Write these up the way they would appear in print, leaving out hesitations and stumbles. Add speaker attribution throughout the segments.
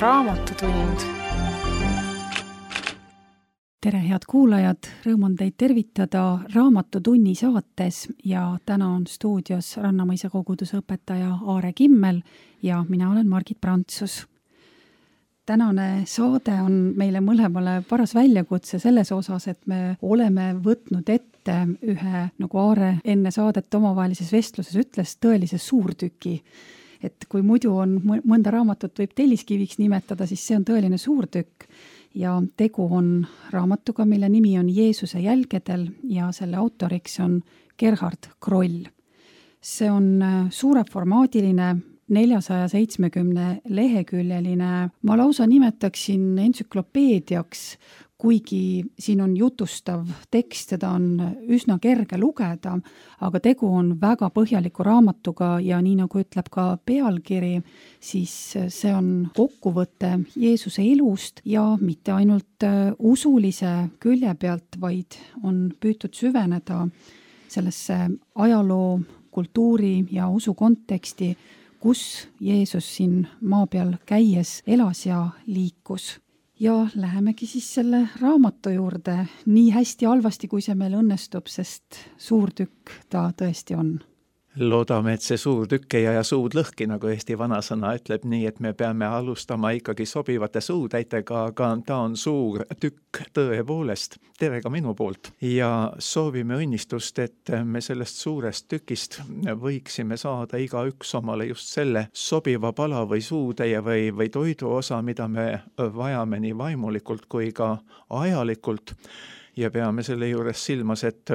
Speaker 1: Raamatutund.
Speaker 2: Tere, head kuulajad! Rõõm on teid tervitada Raamatutunni saates ja täna on stuudios Rannamõisa koguduse õpetaja Aare Kimmel ja mina olen Margit Prantsus. Tänane saade on meile mõlemale paras väljakutse selles osas, et me oleme võtnud ette ühe, nagu Aare enne saadet omavahelises vestluses ütles, tõelise suurtüki. Et kui muidu on mõnda raamatut võib telliskiviks nimetada, siis see on tõeline suurtükk ja tegu on raamatuga, mille nimi on Jeesuse jälgedel ja selle autoriks on Gerhard Kroll. See on suureformaadiline 470 leheküljeline, ma lausa nimetaksin entsüklopeediaks, kuigi siin on jutustav tekst, seda on üsna kerge lugeda, aga tegu on väga põhjaliku raamatuga ja nii nagu ütleb ka pealkiri, siis see on kokkuvõte Jeesuse elust ja mitte ainult usulise külje pealt, vaid on püütud süveneda sellesse ajaloo, kultuuri ja usu konteksti, kus Jeesus siin maa peal käies elas ja liikus. Ja lähemegi siis selle raamatu juurde nii hästi halvasti, kui see meil õnnestub, sest suur tükk ta tõesti on.
Speaker 3: Loodame, et see suur tükk ei aja suud lõhki, nagu Eesti vanasõna ütleb, nii et me peame alustama ikkagi sobivate suutäitega, aga ta on suur tükk tõepoolest. Tere ka minu poolt. Ja soovime õnnistust, et me sellest suurest tükist võiksime saada igaüks omale just selle sobiva pala või suutäie või toidu osa, mida me vajame nii vaimulikult kui ka ajalikult. Ja peame selle juures silmas, et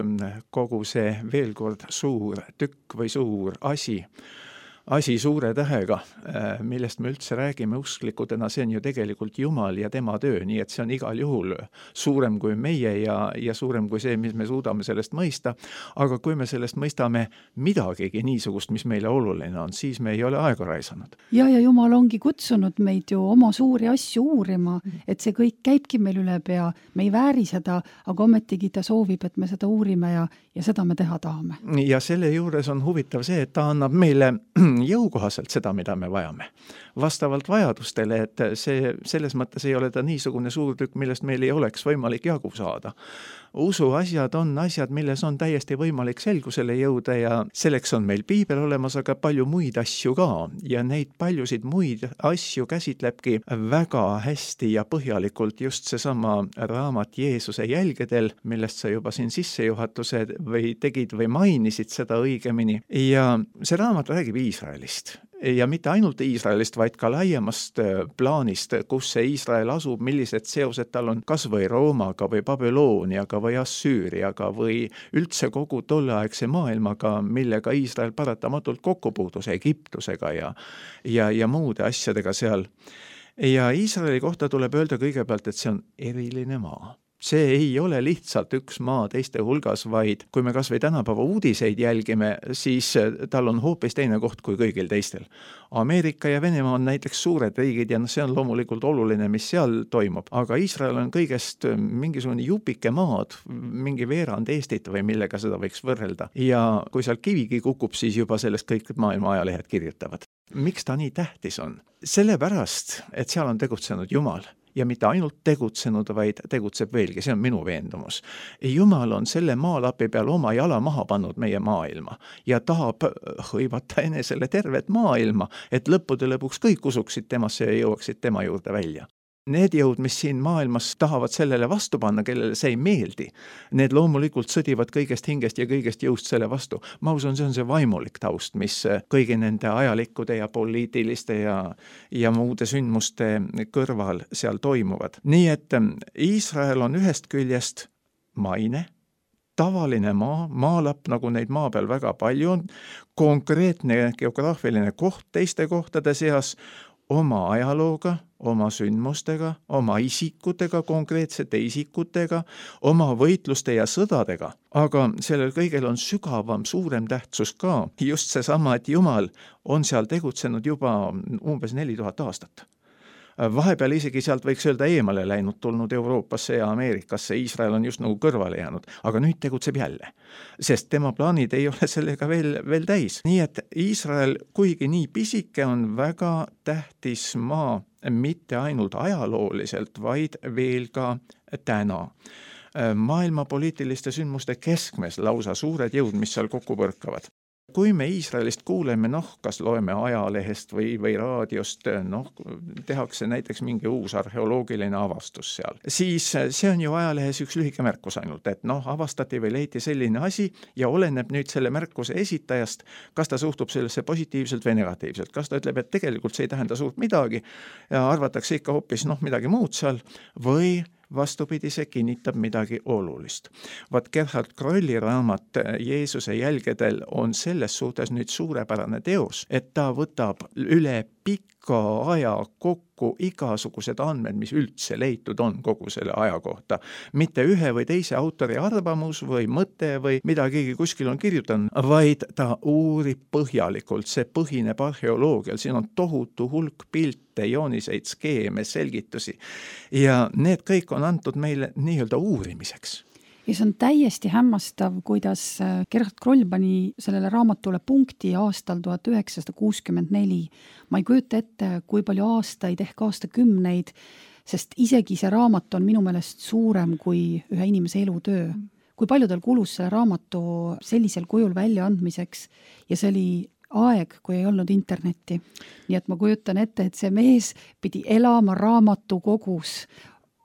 Speaker 3: kogu see veel kord suur tükk või suur asi suure tähega, millest me üldse räägime usklikudena, see on ju tegelikult Jumal ja tema töö, nii et see on igal juhul suurem kui meie ja suurem kui see, mis me suudame sellest mõista. Aga kui me sellest mõistame midagigi niisugust, mis meile oluline on, siis me ei ole aega raisanud.
Speaker 2: Ja Jumal ongi kutsunud meid ju oma suuri asju uurima, et see kõik käibki meil üle pea, me ei vääri seda, aga ometigi ta soovib, et me seda uurime ja seda me teha tahame.
Speaker 3: Ja selle juures on huvitav see, et ta annab meile jõukohaselt seda, mida me vajame. Vastavalt vajadustele, et selles mõttes ei ole ta niisugune suur tükk, millest meil ei oleks võimalik jagu saada. Usu asjad on asjad, milles on täiesti võimalik selgusele jõuda ja selleks on meil piibel olemas, aga palju muid asju ka. Ja neid paljusid muid asju käsitlebki väga hästi ja põhjalikult just seesama raamat Jeesuse jälgedel, millest sa juba siin sissejuhatuse või tegid või mainisid seda õigemini. Ja see raamat räägib Iisraelist. Ja mitte ainult Iisraelist, vaid ka laiemast plaanist, kus see Iisrael asub, millised seosed tal on kas või Roomaga või Babylooniaga või Assüüriaga või üldse kogu tolleaegse maailmaga, millega Iisrael paratamatult kokku puutus, Egiptusega ja muude asjadega seal. Ja Iisraeli kohta tuleb öelda kõigepealt, et see on eriline maa. See ei ole lihtsalt üks maa teiste hulgas, vaid kui me kas või tänapäeva uudiseid jälgime, siis tal on hoopis teine koht kui kõigil teistel. Ameerika ja Venemaa on näiteks suured riigid ja see on loomulikult oluline, mis seal toimub. Aga Iisrael on kõigest mingisugune jupike maad, mingi veerand Eestit või millega seda võiks võrrelda. Ja kui seal kivigi kukub, siis juba sellest kõik maailma ajalehed kirjutavad. Miks ta nii tähtis on? Sellepärast, et seal on tegutsenud Jumal. Ja mitte ainult tegutsenud, vaid tegutseb veelgi, see on minu veendumus. Jumal on selle maalapi peal oma jala maha pannud meie maailma ja tahab hõivata enesele tervet maailma, et lõppude lõpuks kõik usuksid temasse ja jõuaksid tema juurde välja. Need jõud, mis siin maailmas tahavad sellele vastu panna, kellele see ei meeldi, need loomulikult sõdivad kõigest hingest ja kõigest jõust selle vastu. Ma usun, see on see vaimulik taust, mis kõigi nende ajalikkude ja poliitiliste ja muude sündmuste kõrval seal toimuvad. Nii et Iisrael on ühest küljest maine, tavaline maalapp, nagu neid maa peal väga palju on, konkreetne geograafiline koht teiste kohtade seas, oma ajalooga, oma sündmustega, oma isikutega, konkreetsete isikutega, oma võitluste ja sõdadega. Aga sellel kõigel on sügavam, suurem tähtsus ka. Just seesama, et Jumal on seal tegutsenud juba umbes 4000 aastat. Vahepeal isegi sealt võiks öelda eemale läinud, tulnud Euroopasse ja Ameerikasse, Iisrael on just nagu kõrvale jäänud, aga nüüd tegutseb jälle, sest tema plaanid ei ole sellega veel täis. Nii et Iisrael, kuigi nii pisike, on väga tähtis maa, mitte ainult ajalooliselt, vaid veel ka täna. Maailma poliitiliste sündmuste keskmes lausa suured jõud, mis seal kokku põrkavad. Kui me Iisraelist kuuleme, kas loeme ajalehest või raadiost, tehakse näiteks mingi uus arheoloogiline avastus seal, siis see on ju ajalehes üks lühike märkus ainult, et avastati või leiti selline asi ja oleneb nüüd selle märkuse esitajast, kas ta suhtub sellesse positiivselt või negatiivselt, kas ta ütleb, et tegelikult see ei tähenda suurt midagi ja arvatakse ikka hoopis midagi muud seal või vastupidi, see kinnitab midagi olulist. Vaat Gerhard Krolli raamat Jeesuse jälgedel on selles suhtes nüüd suurepärane teos, et ta võtab üle pika aja kokku igasugused andmed, mis üldse leitud on kogu selle aja kohta. Mitte ühe või teise autori arvamus või mõte või mida keegi kuskil on kirjutanud, vaid ta uurib põhjalikult, see põhineb arheoloogial, siin on tohutu hulk pilte, jooniseid, skeeme, selgitusi ja need kõik on antud meile nii-öelda uurimiseks.
Speaker 2: Ja see on täiesti hämmastav, kuidas Gerhard Kroll pani sellele raamatule punkti aastal 1964. Ma ei kujuta ette, kui palju aastaid ehk aastakümneid, sest isegi see raamat on minu meelest suurem kui ühe inimese elutöö. Kui palju tal kulus selle raamatu sellisel kujul väljaandmiseks ja see oli aeg, kui ei olnud internetti. Nii et ma kujutan ette, et see mees pidi elama raamatukogus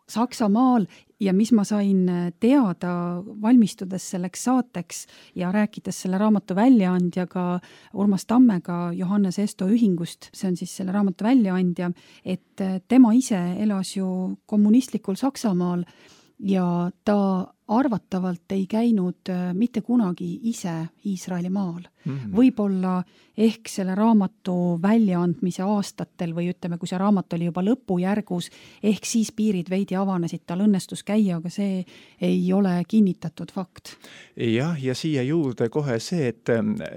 Speaker 2: Saksamaal ja mis ma sain teada valmistudes selleks saateks ja rääkides selle raamatu väljaandjaga Urmas Tammega Johannes Esto ühingust, see on siis selle raamatu väljaandja, et tema ise elas ju kommunistlikul Saksamaal ja ta arvatavalt ei käinud mitte kunagi ise Iisraeli maal. Võib-olla ehk selle raamatu väljaandmise aastatel või ütleme, kui see raamat oli juba lõpujärgus, ehk siis piirid veidi avanesid, tal õnnestus käia, aga see ei ole kinnitatud fakt.
Speaker 3: Jah, ja siia juurde kohe see, et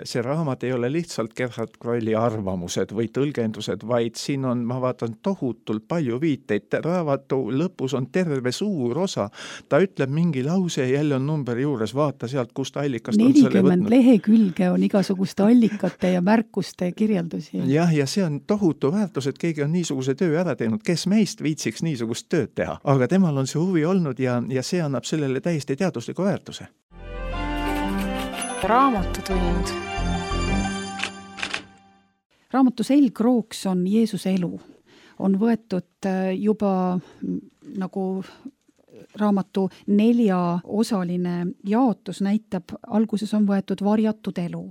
Speaker 3: see raamat ei ole lihtsalt Gerhard Krolli arvamused või tõlgendused, vaid siin on, ma vaatan, tohutult palju viiteid. Raamatu lõpus on terve suur osa. Ta ütleb mingi lause ja jälle on number juures, vaata sealt, kust allikast on selle võtnud.
Speaker 2: 40 lehekülge on igasuguste allikate ja märkuste kirjeldusi.
Speaker 3: Jah, ja see on tohutu väärtus, et keegi on niisuguse töö ära teinud, kes meist viitsiks niisugust tööd teha. Aga temal on see huvi olnud ja see annab sellele täiesti teadusliku väärtuse.
Speaker 1: Raamatutund.
Speaker 2: Raamatu selgrooks on Jeesuse elu. On võetud juba nagu raamatu 4-osaline jaotus näitab, alguses on võetud varjatud elu,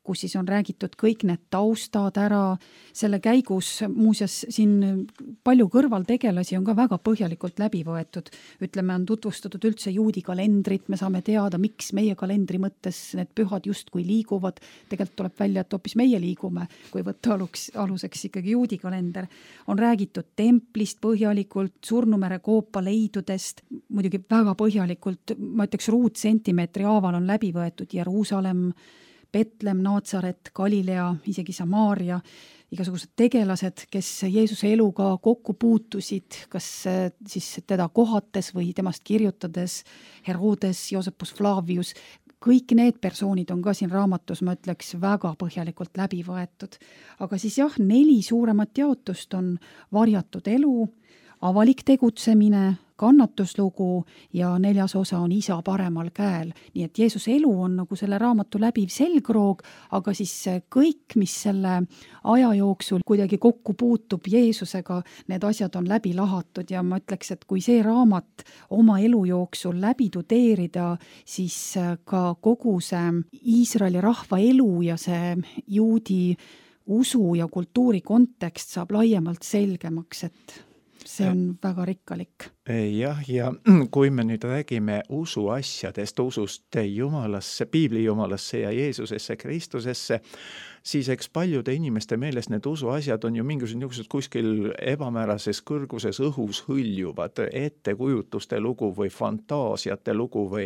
Speaker 2: kus siis on räägitud kõik need taustad ära. Selle käigus muuseas siin palju kõrvaltegelasi on ka väga põhjalikult läbi võetud. Ütleme, on tutvustatud üldse juudi kalendrit, me saame teada, miks meie kalendri mõttes need pühad justkui liiguvad. Tegelikult tuleb välja, et hoopis meie liigume, kui võtta aluseks ikkagi juudi kalender. On räägitud templist põhjalikult, Surnumere koopa leidudest, muidugi väga põhjalikult, ma ütleks ruutsentimeetri haaval on läbi võetud Jeruusalemm, Betlem, Naatsaret, Galilea, isegi Samaaria, igasugused tegelased, kes Jeesuse eluga kokku puutusid, kas siis teda kohates või temast kirjutades, Herodes, Joosepus Flavius, kõik need persoonid on ka siin raamatus, ma ütleks, väga põhjalikult läbi võetud. Aga siis jah, 4 suuremat jaotust on varjatud elu, avalik tegutsemine, kannatuslugu ja 4. osa on isa paremal käel. Nii et Jeesuse elu on nagu selle raamatu läbiv selgroog, aga siis kõik, mis selle aja jooksul kuidagi kokku puutub Jeesusega, need asjad on läbi lahatud ja ma ütleks, et kui see raamat oma elu jooksul läbi tudeerida, siis ka kogu see Iisraeli rahva elu ja see juudi usu ja kultuuri kontekst saab laiemalt selgemaks, et see on väga rikkalik.
Speaker 3: Jah, ja kui me nüüd räägime usuasjadest, usust Jumalasse, piibli Jumalasse ja Jeesusesse, Kristusesse, siis eks paljude inimeste meelest need usuasjad on ju mingisugused kuskil ebamäärases kõrguses õhus hõljuvad, ettekujutuste lugu või fantaasiate lugu või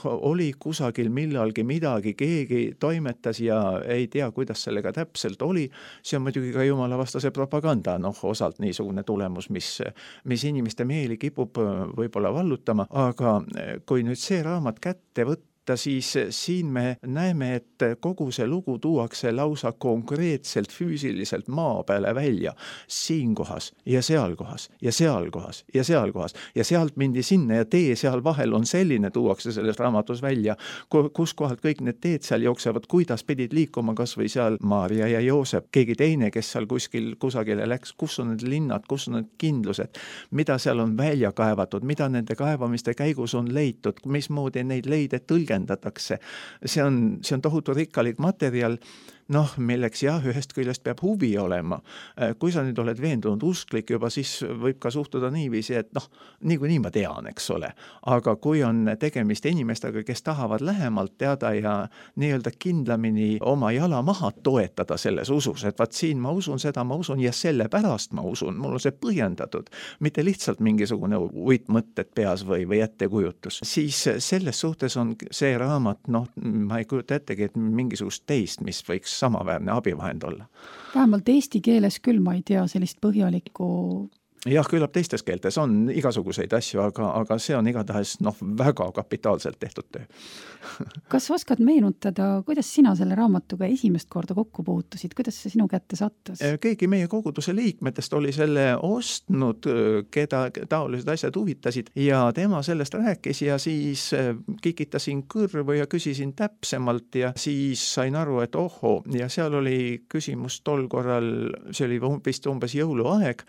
Speaker 3: oli kusagil millalgi midagi, keegi toimetas ja ei tea, kuidas sellega täpselt oli. See on muidugi ka jumalavastase propaganda, osalt niisugune tulemus, mis inimeste meeli kipub võib-olla vallutama, aga kui nüüd see raamat kätte võtta, siis siin me näeme, et kogu see lugu tuuakse lausa konkreetselt füüsiliselt maa peale välja, siin kohas ja seal kohas ja seal kohas ja seal kohas ja sealt mindi sinna ja tee seal vahel on selline, tuuakse selles raamatus välja, kus kohalt kõik need teed seal jooksevad, kuidas pidid liikuma kas või seal Maarja ja Joosep, keegi teine, kes seal kusagile läks, kus on need linnad, kus on need kindlused, mida seal on välja kaevatud, mida nende kaevamiste käigus on leitud, mismoodi neid leide tõlgendatakse. See on tohutu rikkalik materjal, milleks ühest küljest peab huvi olema. Kui sa nüüd oled veendunud usklik juba, siis võib ka suhtuda niiviisi, et niikuinii ma tean, eks ole. Aga kui on tegemist inimestega, kes tahavad lähemalt teada ja nii-öelda kindlamini oma jala maha toetada selles usus, et vaat siin ma usun seda, ma usun ja sellepärast ma usun, mul on see põhjendatud, mitte lihtsalt mingisugune uitmõtted peas või ettekujutus. Siis selles suhtes on see raamat, ma ei kujuta ettegi, et mingisugust teist, mis võiks samaväärne abivahend olla.
Speaker 2: Vähemalt eesti keeles küll ma ei tea sellist põhjalikku.
Speaker 3: Jah, küllap teistes keeltes on igasuguseid asju, aga see on igatahes väga kapitaalselt tehtud töö.
Speaker 2: Kas oskad meenutada, kuidas sina selle raamatuga esimest korda kokku puutusid? Kuidas see sinu kätte sattus?
Speaker 3: Keegi meie koguduse liikmetest oli selle ostnud, keda taolised asjad huvitasid ja tema sellest rääkis ja siis kikitasin kõrvu ja küsisin täpsemalt ja siis sain aru, et ja seal oli küsimus tol korral, see oli vist umbes jõuluaeg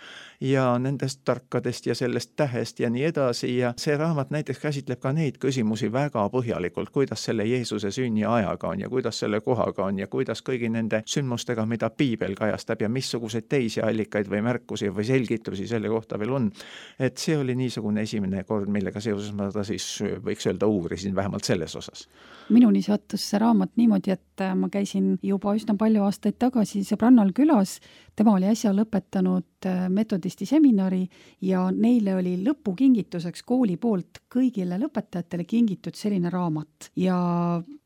Speaker 3: ja nendest tarkadest ja sellest tähest ja nii edasi ja see raamat näiteks käsitleb ka neid küsimusi väga põhjalikult, kuidas selle Jeesuse sünni ajaga on ja kuidas selle kohaga on ja kuidas kõigi nende sündmustega, mida piibel kajastab ja missuguseid teisi allikaid või märkusi või selgitusi selle kohta veel on. Et see oli niisugune esimene kord, millega seoses ma ta siis võiks öelda uurisin vähemalt selles osas.
Speaker 2: Minuni sattus see raamat niimoodi, et ma käisin juba üsna palju aastaid tagasi sõbrannal külas, tema oli äsja lõpetanud metodisti seminari ja neile oli lõpukingituseks kooli poolt kõigile lõpetajatele kingitud selline raamat. Ja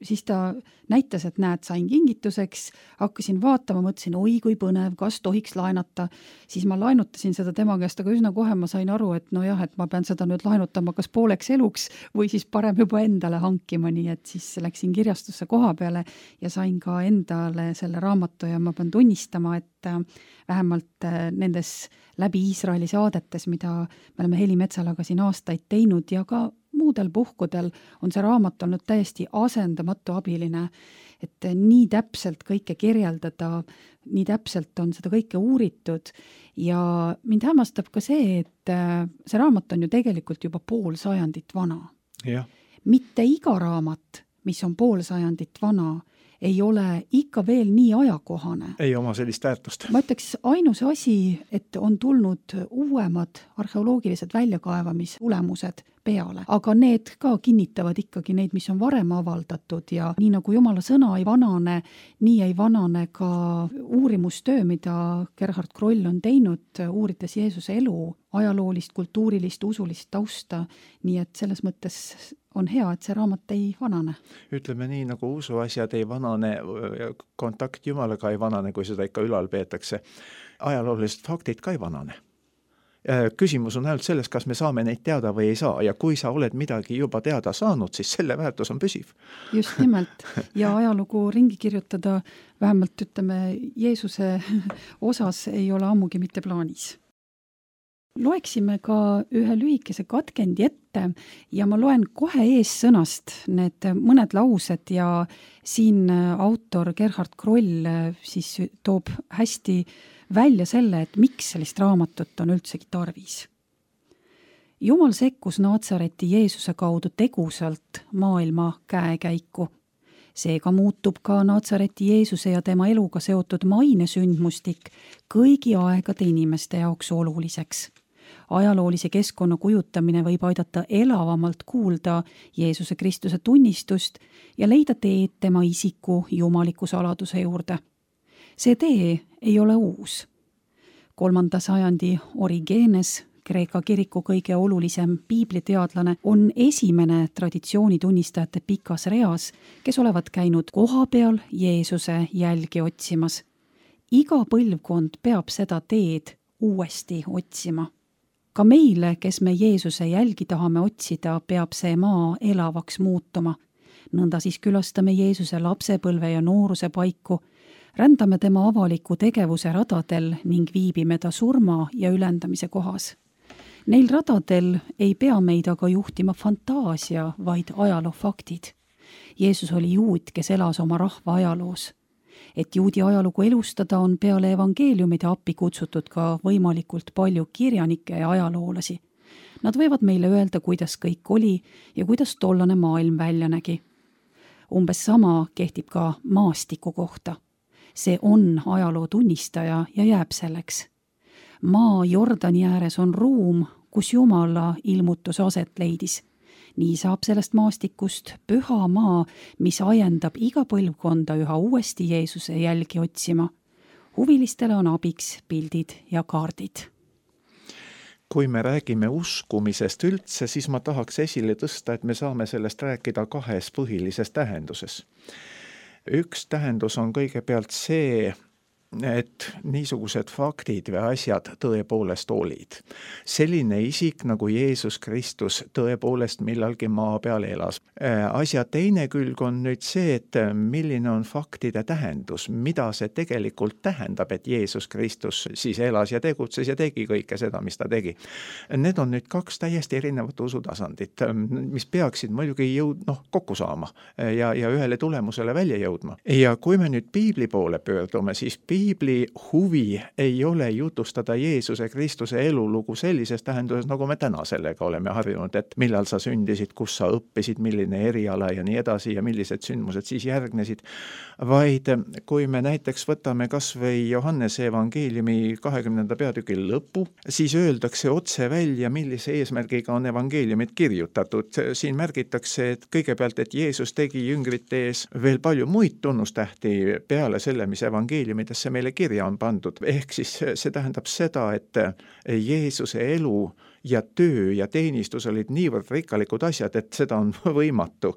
Speaker 2: siis ta näitas, et näed, sain kingituseks, hakkasin vaatama, mõtlesin, oi kui põnev, kas tohiks laenata. Siis ma laenutasin seda tema käest, aga üsna kohe ma sain aru, et et ma pean seda nüüd laenutama kas pooleks eluks või siis parem juba endale hankima, nii et siis läksin kirjastusse koha peale ja sain ka endale selle raamatu ja ma pean tunnistama, et vähemalt nendes läbi Iisraeli saadetes, mida me oleme Heli Metsalaga siin aastaid teinud ja ka muudel puhkudel on see raamat olnud täiesti asendamatu abiline, et nii täpselt kõike kirjeldada, nii täpselt on seda kõike uuritud ja mind hämmastab ka see, et see raamat on ju tegelikult juba pool sajandit vana.
Speaker 3: Ja.
Speaker 2: Mitte iga raamat, mis on pool sajandit vana, ei ole ikka veel nii ajakohane.
Speaker 3: Ei oma sellist väärtust.
Speaker 2: Ma ütleks, ainus asi, et on tulnud uuemad arheoloogilised väljakaevamistulemused peale, aga need ka kinnitavad ikkagi neid, mis on varem avaldatud ja nii nagu Jumala sõna ei vanane, nii ei vanane ka uurimustöö, mida Gerhard Kroll on teinud, uurides Jeesuse elu, ajaloolist, kultuurilist, usulist tausta, nii et selles mõttes on hea, et see raamat ei vanane.
Speaker 3: Ütleme nii, nagu usuasjad ei vanane, kontakt Jumalaga ei vanane, kui seda ikka ülal peetakse. Ajaloolised faktid ka ei vanane. Küsimus on ainult selles, kas me saame neid teada või ei saa ja kui sa oled midagi juba teada saanud, siis selle väärtus on püsiv.
Speaker 2: Just nimelt ja ajalugu ringi kirjutada vähemalt Jeesuse osas ei ole ammugi mitte plaanis. Loeksime ka ühe lühikese katkendi ette ja ma loen kohe eessõnast need mõned laused ja siin autor Gerhard Kroll siis toob hästi välja selle, et miks sellist raamatut on üldsegi tarvis. Jumal sekkus Naatsareti Jeesuse kaudu tegusalt maailma käekäiku. Seega muutub ka Naatsareti Jeesuse ja tema eluga seotud mainesündmustik kõigi aegade inimeste jaoks oluliseks. Ajaloolise keskkonna kujutamine võib aidata elavamalt kuulda Jeesuse Kristuse tunnistust ja leida teed tema isiku jumaliku saladuse juurde. See tee ei ole uus. 3. sajandi Origenes, Kreeka kiriku kõige olulisem piibliteadlane, on esimene traditsioonitunnistajate pikas reas, kes olevat käinud kohapeal Jeesuse jälgi otsimas. Iga põlvkond peab seda teed uuesti otsima. Ka meile, kes me Jeesuse jälgi tahame otsida, peab see maa elavaks muutuma. Nõnda siis külastame Jeesuse lapsepõlve ja nooruse paiku, rändame tema avaliku tegevuse radadel ning viibime ta surma ja ülendamise kohas. Neil radadel ei pea meid aga juhtima fantaasia, vaid ajaloofaktid. Jeesus oli juut, kes elas oma rahva ajaloos. Et juudi ajalugu elustada, on peale evangeeliumide appi kutsutud ka võimalikult palju kirjanikke ja ajaloolasi. Nad võivad meile öelda, kuidas kõik oli ja kuidas tollane maailm välja nägi. Umbes sama kehtib ka maastiku kohta. See on ajaloo tunnistaja ja jääb selleks. Maa Jordani ääres on ruum, kus Jumala ilmutus aset leidis. Nii saab sellest maastikust püha maa, mis ajendab iga põlvkonda üha uuesti Jeesuse jälgi otsima. Huvilistele on abiks pildid ja kaardid.
Speaker 3: Kui me räägime uskumisest üldse, siis ma tahaks esile tõsta, et me saame sellest rääkida kahes põhilises tähenduses. Üks tähendus on kõigepealt see, et niisugused faktid või asjad tõepoolest olid. Selline isik nagu Jeesus Kristus tõepoolest millalgi maa peal elas. Asja teine külg on nüüd see, et milline on faktide tähendus, mida see tegelikult tähendab, et Jeesus Kristus siis elas ja tegutses ja tegi kõike seda, mis ta tegi. Need on nüüd kaks täiesti erinevat usutasandit, mis peaksid muidugi kokku saama ja ühele tulemusele välja jõudma. Ja kui me nüüd piibli poole pöördume, siis piibli huvi ei ole jutustada Jeesuse Kristuse elulugu sellises tähenduses, nagu me täna sellega oleme harjunud, et millal sa sündisid, kus sa õppisid, milline eriala ja nii edasi ja millised sündmused siis järgnesid, vaid kui me näiteks võtame kas või Johannese evangeeliumi 20. peatüki lõpu, siis öeldakse otse välja, millise eesmärgiga on evangeeliumid kirjutatud. Siin märgitakse, et kõigepealt, et Jeesus tegi jüngrite ees veel palju muid tunnustähti peale selle, mis evangeeliumidesse meile kirja on pandud. Ehk siis see tähendab seda, et Jeesuse elu ja töö ja teenistus olid niivõrd rikkalikud asjad, et seda on võimatu.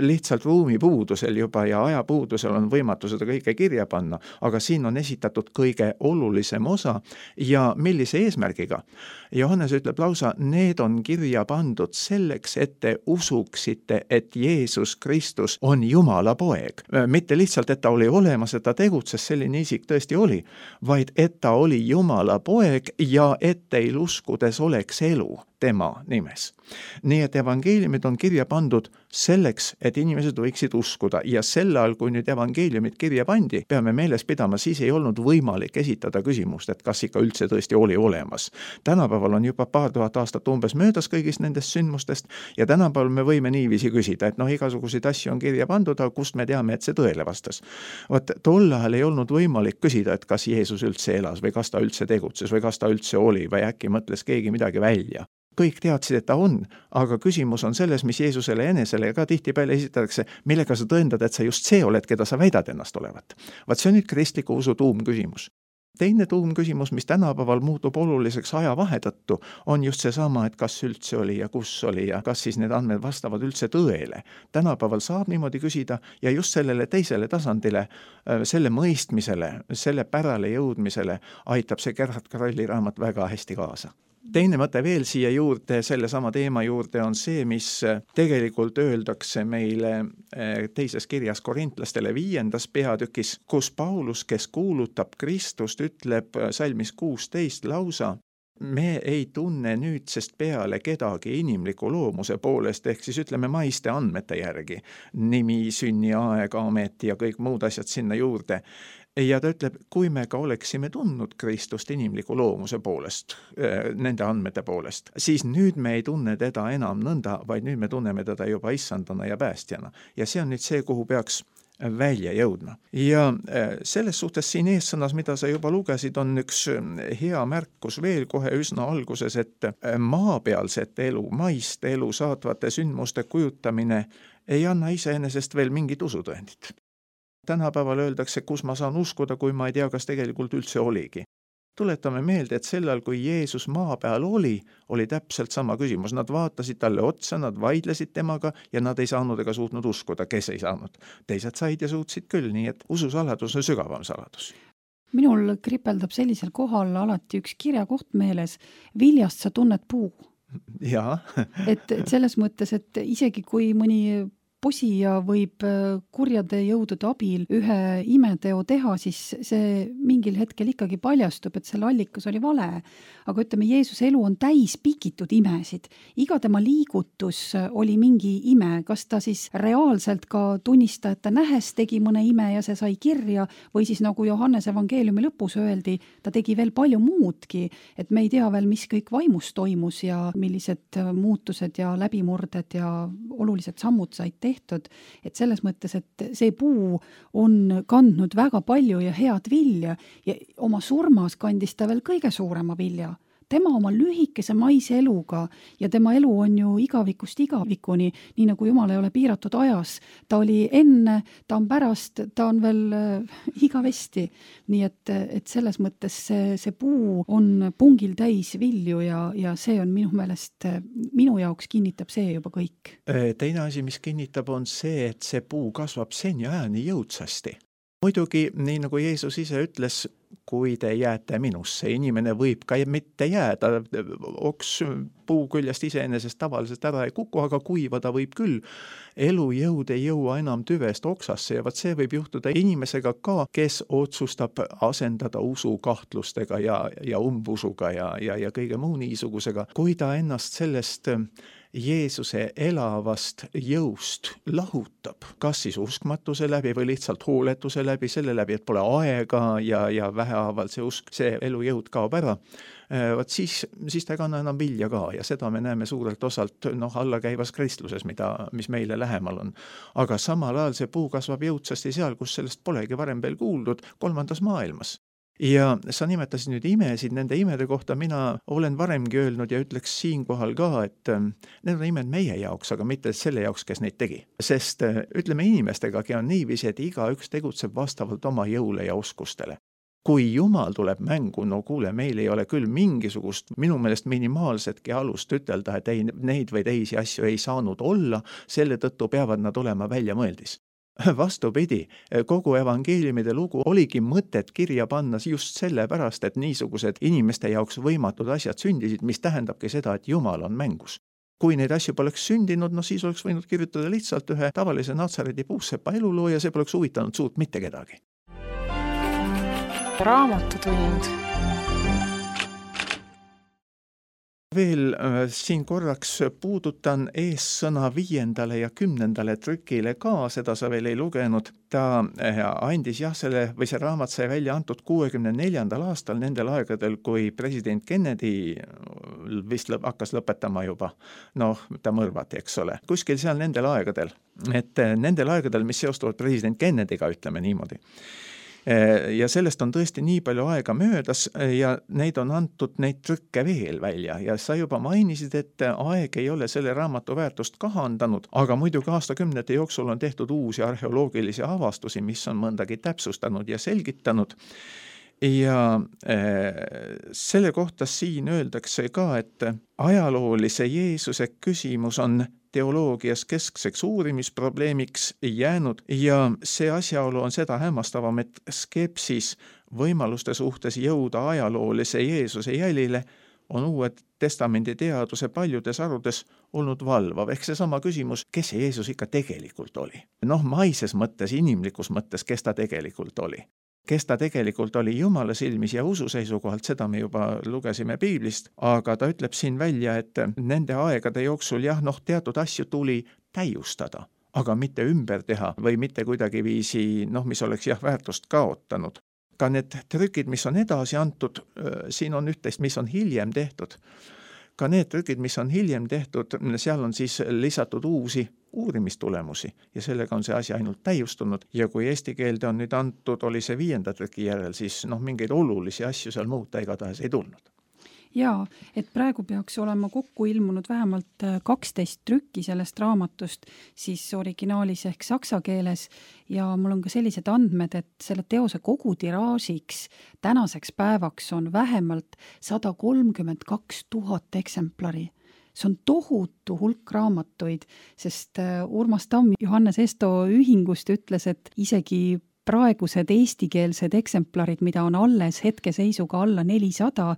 Speaker 3: Lihtsalt ruumipuudusel juba ja ajapuudusel on võimatu seda kõike kirja panna, aga siin on esitatud kõige olulisem osa ja millise eesmärgiga. Johannes ütleb lausa, need on kirja pandud selleks, et te usuksite, et Jeesus Kristus on Jumala poeg. Mitte lihtsalt, et ta oli olemas, et ta tegutses, selline isik tõesti oli, vaid et ta oli Jumala poeg ja et teil uskudes oleks elu tema nimes. Nii et evangeeliumid on kirja pandud selleks, et inimesed võiksid uskuda ja sel ajal, kui nüüd evangeeliumid kirja pandi, peame meeles pidama, siis ei olnud võimalik esitada küsimust, et kas ikka üldse tõesti oli olemas. Tänapäeval on juba 2000 aastat umbes möödas kõigist nendest sündmustest ja tänapäeval me võime niiviisi küsida, et igasuguseid asju on kirja pandud, aga kust me teame, et see tõele vastas. Tol ajal ei olnud võimalik küsida, et kas Jeesus üldse elas või kas ta üldse tegutses või kas ta üldse oli või äkki mõtles keegi midagi välja. Kõik teadsid, et ta on, aga küsimus on selles, mis Jeesusele enesele ka tihtipeale esitatakse, millega sa tõendad, et sa just see oled, keda sa väidad ennast olevat. See on nüüd kristliku usu tuumküsimus. Teine tuumküsimus, mis tänapäeval muutub oluliseks ajavahe tõttu, on just seesama, et kas üldse oli ja kus oli ja kas siis need andmed vastavad üldse tõele. Tänapäeval saab niimoodi küsida ja just sellele teisele tasandile, selle mõistmisele, selle pärale jõudmisele aitab see Gerhard Krolli raamat väga hästi kaasa. Teine mõte veel siia juurde, selle sama teema juurde on see, mis tegelikult öeldakse meile teises kirjas korintlastele 5. peatükis, kus Paulus, kes kuulutab Kristust, ütleb salmis 16 lausa, me ei tunne nüüdsest peale kedagi inimliku loomuse poolest, ehk siis ütleme maiste andmete järgi, nimi, sünniaeg, amet ja kõik muud asjad sinna juurde. Ja ta ütleb, kui me ka oleksime tundnud Kristust inimliku loomuse poolest, nende andmete poolest, siis nüüd me ei tunne teda enam nõnda, vaid nüüd me tunneme teda juba issandana ja päästjana. Ja see on nüüd see, kuhu peaks välja jõudma. Ja selles suhtes siin eessõnas, mida sa juba lugesid, on üks hea märkus veel kohe üsna alguses, et maapealset elu, maist elu saatvate sündmuste kujutamine ei anna iseenesest veel mingit usutõendit. Tänapäeval öeldakse, kus ma saan uskuda, kui ma ei tea, kas tegelikult üldse oligi. Tuletame meelde, et sellal, kui Jeesus maa peal oli täpselt sama küsimus. Nad vaatasid talle otsa, nad vaidlesid temaga ja nad ei saanud ega suutnud uskuda, kes ei saanud. Teised said ja suutsid küll, nii et ususaladus on sügavam saladus.
Speaker 2: Minul kripeldab sellisel kohal alati üks kirjakoht meeles, viljast sa tunned puu.
Speaker 3: Jaa.
Speaker 2: et selles mõttes, et isegi kui mõni posija võib kurjade jõudude abil ühe imeteo teha, siis see mingil hetkel ikkagi paljastub, et selle allikas oli vale. Aga ütleme, Jeesuse elu on täis pikitud imesid. Iga tema liigutus oli mingi ime. Kas ta siis reaalselt ka tunnistajate nähes tegi mõne ime ja see sai kirja, või siis nagu Johannese evangeeliumi lõpus öeldi, ta tegi veel palju muudki, et me ei tea veel, mis kõik vaimus toimus ja millised muutused ja läbimurded ja olulised sammud said tehtud, et selles mõttes, et see puu on kandnud väga palju ja head vilja ja oma surmas kandis ta veel kõige suurema vilja. Tema oma lühikese maise eluga ja tema elu on ju igavikust igavikuni, nii nagu Jumal ei ole piiratud ajas. Ta oli enne, ta on pärast, ta on veel igavesti. Nii et selles mõttes see puu on pungil täis vilju ja see on minu meelest, minu jaoks kinnitab see juba kõik.
Speaker 3: Teine asi, mis kinnitab, on see, et see puu kasvab seni ajani jõudsasti. Muidugi, nii nagu Jeesus ise ütles, kui te jääte minusse, inimene võib ka mitte jääda, oks puu küljest iseenesest tavaliselt ära ei kuku, aga kuivada võib küll. Elujõud ei jõua enam tüvest oksasse ja see võib juhtuda inimesega ka, kes otsustab asendada usu kahtlustega ja umbusuga ja kõige muu niisugusega. Kui ta ennast sellest Jeesuse elavast jõust lahutab, kas siis uskmatuse läbi või lihtsalt hooletuse läbi, selle läbi, et pole aega ja vähehaavalt see usk, see elujõud kaob ära, siis ta ei kanna enam vilja ka ja seda me näeme suurelt osalt allakäivas kristluses, mis meile lähemal on. Aga samal ajal see puu kasvab jõudsasti seal, kus sellest polegi varem veel kuuldud, 3. maailmas. Ja sa nimetasid nüüd imesid, nende imede kohta mina olen varemgi öelnud ja ütleks siinkohal ka, et need on imed meie jaoks, aga mitte selle jaoks, kes neid tegi. Sest ütleme inimestegagi on niiviisi, et igaüks tegutseb vastavalt oma jõule ja oskustele. Kui Jumal tuleb mängu, no kuule, meil ei ole küll mingisugust, minu meelest minimaalsetki alust ütelda, et ei, neid või teisi asju ei saanud olla, selle tõttu peavad nad olema väljamõeldis. Vastupidi, kogu evangeeliumide lugu oligi mõtet kirja panna just sellepärast, et niisugused inimeste jaoks võimatud asjad sündisid, mis tähendabki seda, et Jumal on mängus. Kui neid asju poleks sündinud, siis oleks võinud kirjutada lihtsalt ühe tavalise Natsareti puussepa eluloo ja see poleks huvitanud suurt mitte kedagi.
Speaker 1: Raamatutund.
Speaker 3: Veel siin korraks puudutan eessõna 5. ja 10. trükile ka, seda sa veel ei lugenud. Ta andis see raamat sai välja antud 64. aastal nendel aegadel, kui president Kennedy vist hakkas lõpetama juba. Ta mõrvati, eks ole. Kuskil seal nendel aegadel. Et nendel aegadel, mis seostuvad president Kennedyga, ütleme niimoodi. Ja sellest on tõesti nii palju aega möödas ja neid on antud neid trükke veel välja ja sa juba mainisid, et aeg ei ole selle raamatu väärtust kahandanud, aga muidugi aastakümnete jooksul on tehtud uusi arheoloogilisi avastusi, mis on mõndagi täpsustanud ja selgitanud. Ja selle kohta siin öeldakse ka, et ajaloolise Jeesuse küsimus on teoloogias keskseks uurimisprobleemiks jäänud ja see asjaolu on seda hämmastavam, et skepsis võimaluste suhtes jõuda ajaloolise Jeesuse jälile on Uue Testamendi teaduse paljudes arudes olnud valvav. Ehk seesama küsimus, kes see Jeesus ikka tegelikult oli? Maises mõttes, inimlikus mõttes, kes ta tegelikult oli? Kes ta tegelikult oli Jumala silmis ja usu seisukohalt, seda me juba lugesime Piiblist, aga ta ütleb siin välja, et nende aegade jooksul teatud asju tuli täiustada, aga mitte ümber teha või mitte kuidagiviisi, mis oleks väärtust kaotanud. Ka need trükid, mis on edasi antud, siin on üht-teist, mis on hiljem tehtud. Ka need trükid, mis on hiljem tehtud, seal on siis lisatud uusi uurimistulemusi ja sellega on see asi ainult täiustunud ja kui eesti keelde on nüüd antud, oli see 5. trüki järel, siis mingeid olulisi asju seal muuta igatahes ei tulnud.
Speaker 2: Jaa, et praegu peaks olema kokku ilmunud vähemalt 12 trükki sellest raamatust siis originaalis ehk saksa keeles ja mul on ka sellised andmed, et selle teose kogu tiraažiks tänaseks päevaks on vähemalt 132 000 eksemplari. See on tohutu hulk raamatuid, sest Urmas Tamm Johannes Esto ühingust ütles, et isegi praegused eestikeelsed eksemplarid, mida on alles hetkeseisuga alla 400,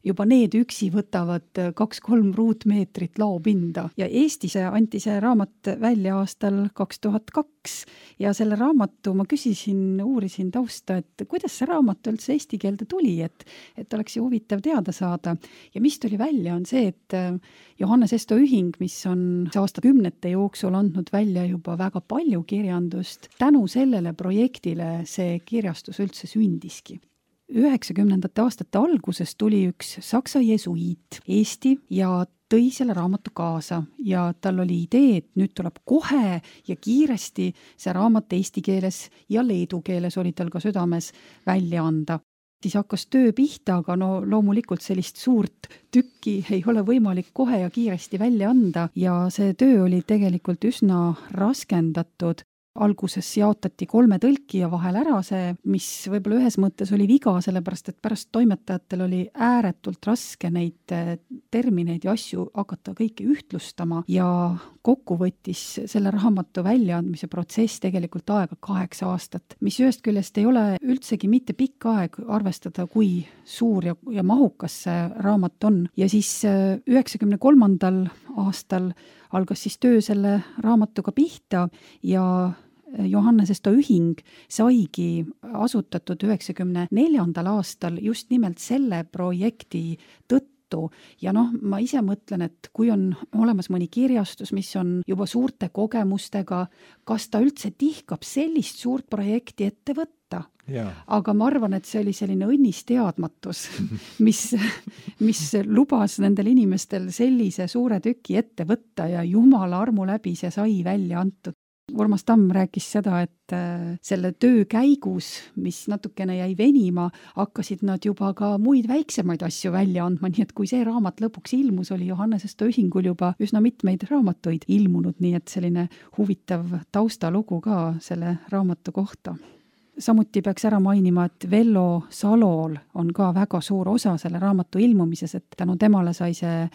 Speaker 2: juba need üksi võtavad 2-3 ruutmeetrit laopinda. Ja Eestis anti see raamat välja aastal 2002 ja selle raamatu ma uurisin tausta, et kuidas see raamat üldse eesti keelde tuli, et oleks ju huvitav teada saada. Ja mis tuli välja on see, et Johannes Esto ühing, mis on aastakümnete jooksul andnud välja juba väga palju kirjandust, tänu sellele projektile see kirjastus üldse sündiski. 90. aastate alguses tuli üks saksa jesuiit Eesti ja tõi selle raamatu kaasa ja tal oli idee, et nüüd tuleb kohe ja kiiresti see raamat eesti keeles ja leedu keeles oli tal ka südames välja anda. Siis hakkas töö pihta, aga loomulikult sellist suurt tükki ei ole võimalik kohe ja kiiresti välja anda ja see töö oli tegelikult üsna raskendatud. Alguses jaotati 3 tõlki ja vahel ära see, mis võib-olla ühes mõttes oli viga, sellepärast et pärast toimetajatel oli ääretult raske neid termineid ja asju hakata kõike ühtlustama ja kokku võttis selle raamatu väljaandmise protsess tegelikult aega 8 aastat, mis ühest küljest ei ole üldsegi mitte pikk aeg arvestada, kui suur ja mahukas see raamat on. Ja siis 93. aastal algas siis töö selle raamatuga pihta ja Johannes Esto ühing saigi asutatud 94. aastal just nimelt selle projekti tõttu. Ja ma ise mõtlen, et kui on olemas mõni kirjastus, mis on juba suurte kogemustega, kas ta üldse tihkab sellist suurt projekti ette võtta?
Speaker 3: Ja.
Speaker 2: Aga ma arvan, et see oli selline õnnisteadmatus, mis lubas nendel inimestel sellise suure tüki ette võtta ja jumala armu läbi see sai välja antud. Urmas Tamm rääkis seda, et selle töö käigus, mis natukene jäi venima, hakkasid nad juba ka muid väiksemaid asju välja andma, nii et kui see raamat lõpuks ilmus, oli Johannes Esto ühingul juba üsna mitmeid raamatuid ilmunud, nii et selline huvitav taustalugu ka selle raamatu kohta. Samuti peaks ära mainima, et Vello Salol on ka väga suur osa selle raamatu ilmumises, et tänu temale sai see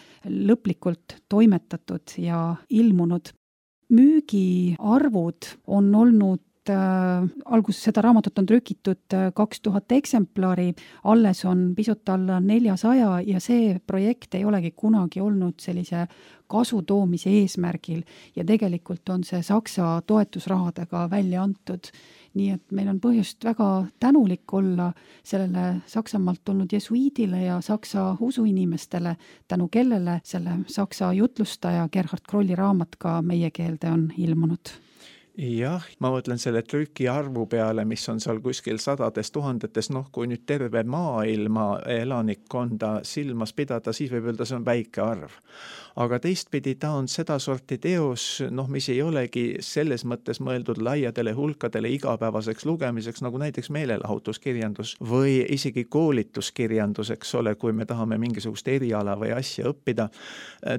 Speaker 2: lõplikult toimetatud ja ilmunud. Müügiarvud on olnud alguses seda raamatut on trükitud 2000 eksemplari, alles on pisut alla 400 ja see projekt ei olegi kunagi olnud sellise kasu toomise eesmärgil ja tegelikult on see Saksa toetusrahadega välja antud. Nii et meil on põhjust väga tänulik olla sellele Saksamaalt tulnud jesuiidile ja saksa usuinimestele, tänu kellele selle saksa jutlustaja Gerhard Krolli raamat ka meie keelde on ilmunud.
Speaker 3: Jah, ma mõtlen selle trüki arvu peale, mis on seal kuskil 100 000, kui nüüd terve maailma elanikkonda silmas pidada, siis võib öelda, see on väike arv. Aga teistpidi ta on seda sorti teos, mis ei olegi selles mõttes mõeldud laiadele hulkadele igapäevaseks lugemiseks, nagu näiteks meelelahutuskirjandus või isegi koolituskirjandus, eks ole, kui me tahame mingisugust eriala või asja õppida.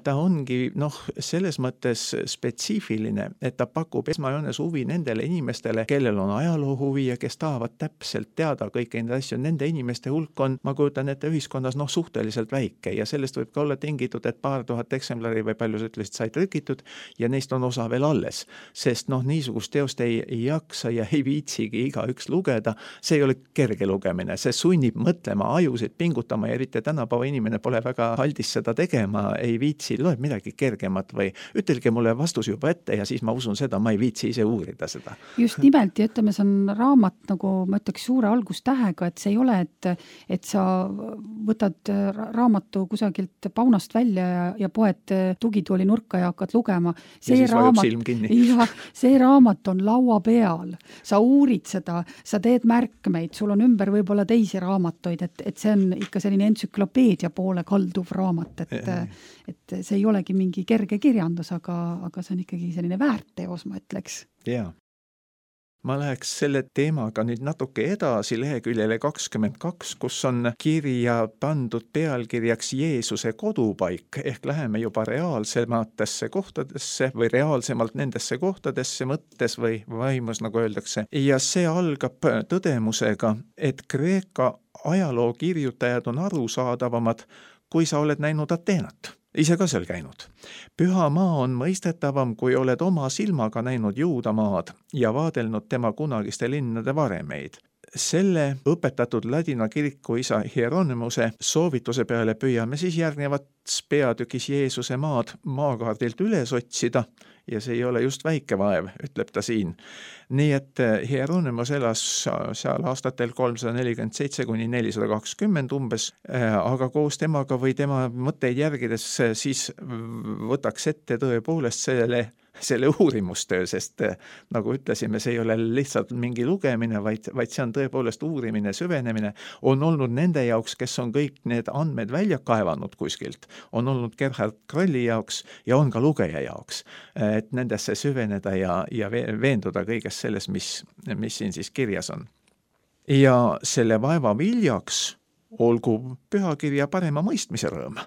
Speaker 3: Ta ongi selles mõttes spetsiifiline, et ta pakub esmajoones huvi nendele inimestele, kellel on ajaloo huvi ja kes tahavad täpselt teada kõiki neid asju. Nende inimeste hulk on, ma kujutan ette, ühiskonnas suhteliselt väike ja sellest võib ka olla tingitud, et paar tuhat eksemplari või palju sa ütlesid, sai trükitud ja neist on osa veel alles, sest niisugust teost ei jaksa ja ei viitsigi igaüks lugeda. See ei ole kerge lugemine, see sunnib mõtlema, ajusid pingutama ja eriti tänapäeva inimene pole väga aldis seda tegema, ei viitsi, loeb midagi kergemat või ütelge mulle vastus juba ette ja siis ma usun seda, ma ei viitsi ise uurida seda.
Speaker 2: Just nimelt ja ütleme, see on raamat, nagu ma ütleks, suure algustähega, et see ei ole, et sa võtad raamatu kusagilt paunast välja ja poed tugitooli nurka ja hakkad lugema.
Speaker 3: See
Speaker 2: raamat on laua peal. Sa uurid seda, sa teed märkmeid, sul on ümber võib-olla teisi raamatuid, et see on ikka selline entsüklopeedia poole kalduv raamat, et see ei olegi mingi kerge kirjandus, aga see on ikkagi selline väärteos, ma ütleks.
Speaker 3: Jaa. Ma läheks selle teemaga nüüd natuke edasi leheküljele 22, kus on kirja pandud pealkirjaks Jeesuse kodupaik, ehk läheme juba reaalsematesse kohtadesse või reaalsemalt nendesse kohtadesse mõttes või vaimus, nagu öeldakse. Ja see algab tõdemusega, et Kreeka ajaloo kirjutajad on arusaadavamad, kui sa oled näinud Ateenat. Ise ka seal käinud. Püha maa on mõistetavam, kui oled oma silmaga näinud Juudamaad ja vaadelnud tema kunagiste linnade varemeid. Selle õpetatud ladina kiriku isa Hieronymuse soovituse peale püüame siis järgnevat peatükis Jeesuse maad maakaardilt üles otsida ja see ei ole just väike vaev, ütleb ta siin. Nii et Hieronymus elas seal aastatel 347 kuni 420 umbes, aga koos temaga või tema mõtteid järgides siis võtaks ette tõepoolest selle uurimustöö, sest nagu ütlesime, see ei ole lihtsalt mingi lugemine, vaid see on tõepoolest uurimine, süvenemine. On olnud nende jaoks, kes on kõik need andmed välja kaevanud kuskilt, on olnud Gerhard Krolli jaoks ja on ka lugeja jaoks, et nendesse süveneda ja veenduda kõigest selles, mis siin siis kirjas on. Ja selle vaeva viljaks olgu pühakirja parema mõistmise rõõm.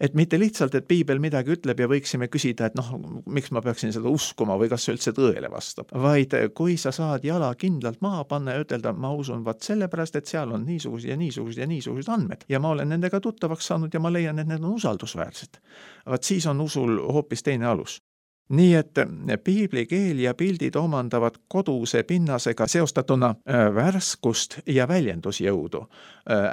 Speaker 3: Et mitte lihtsalt, et piibel midagi ütleb ja võiksime küsida, et miks ma peaksin seda uskuma või kas see üldse tõele vastab. Vaid kui sa saad jala kindlalt maha panna ja ütelda, ma usun sellepärast, et seal on niisugused andmed. Ja ma olen nendega tuttavaks saanud ja ma leian, et need on usaldusväärsed. Vaat siis on usul hoopis teine alus. Nii et piibli keel ja pildid omandavad koduse pinnasega seostatuna värskust ja väljendusjõudu.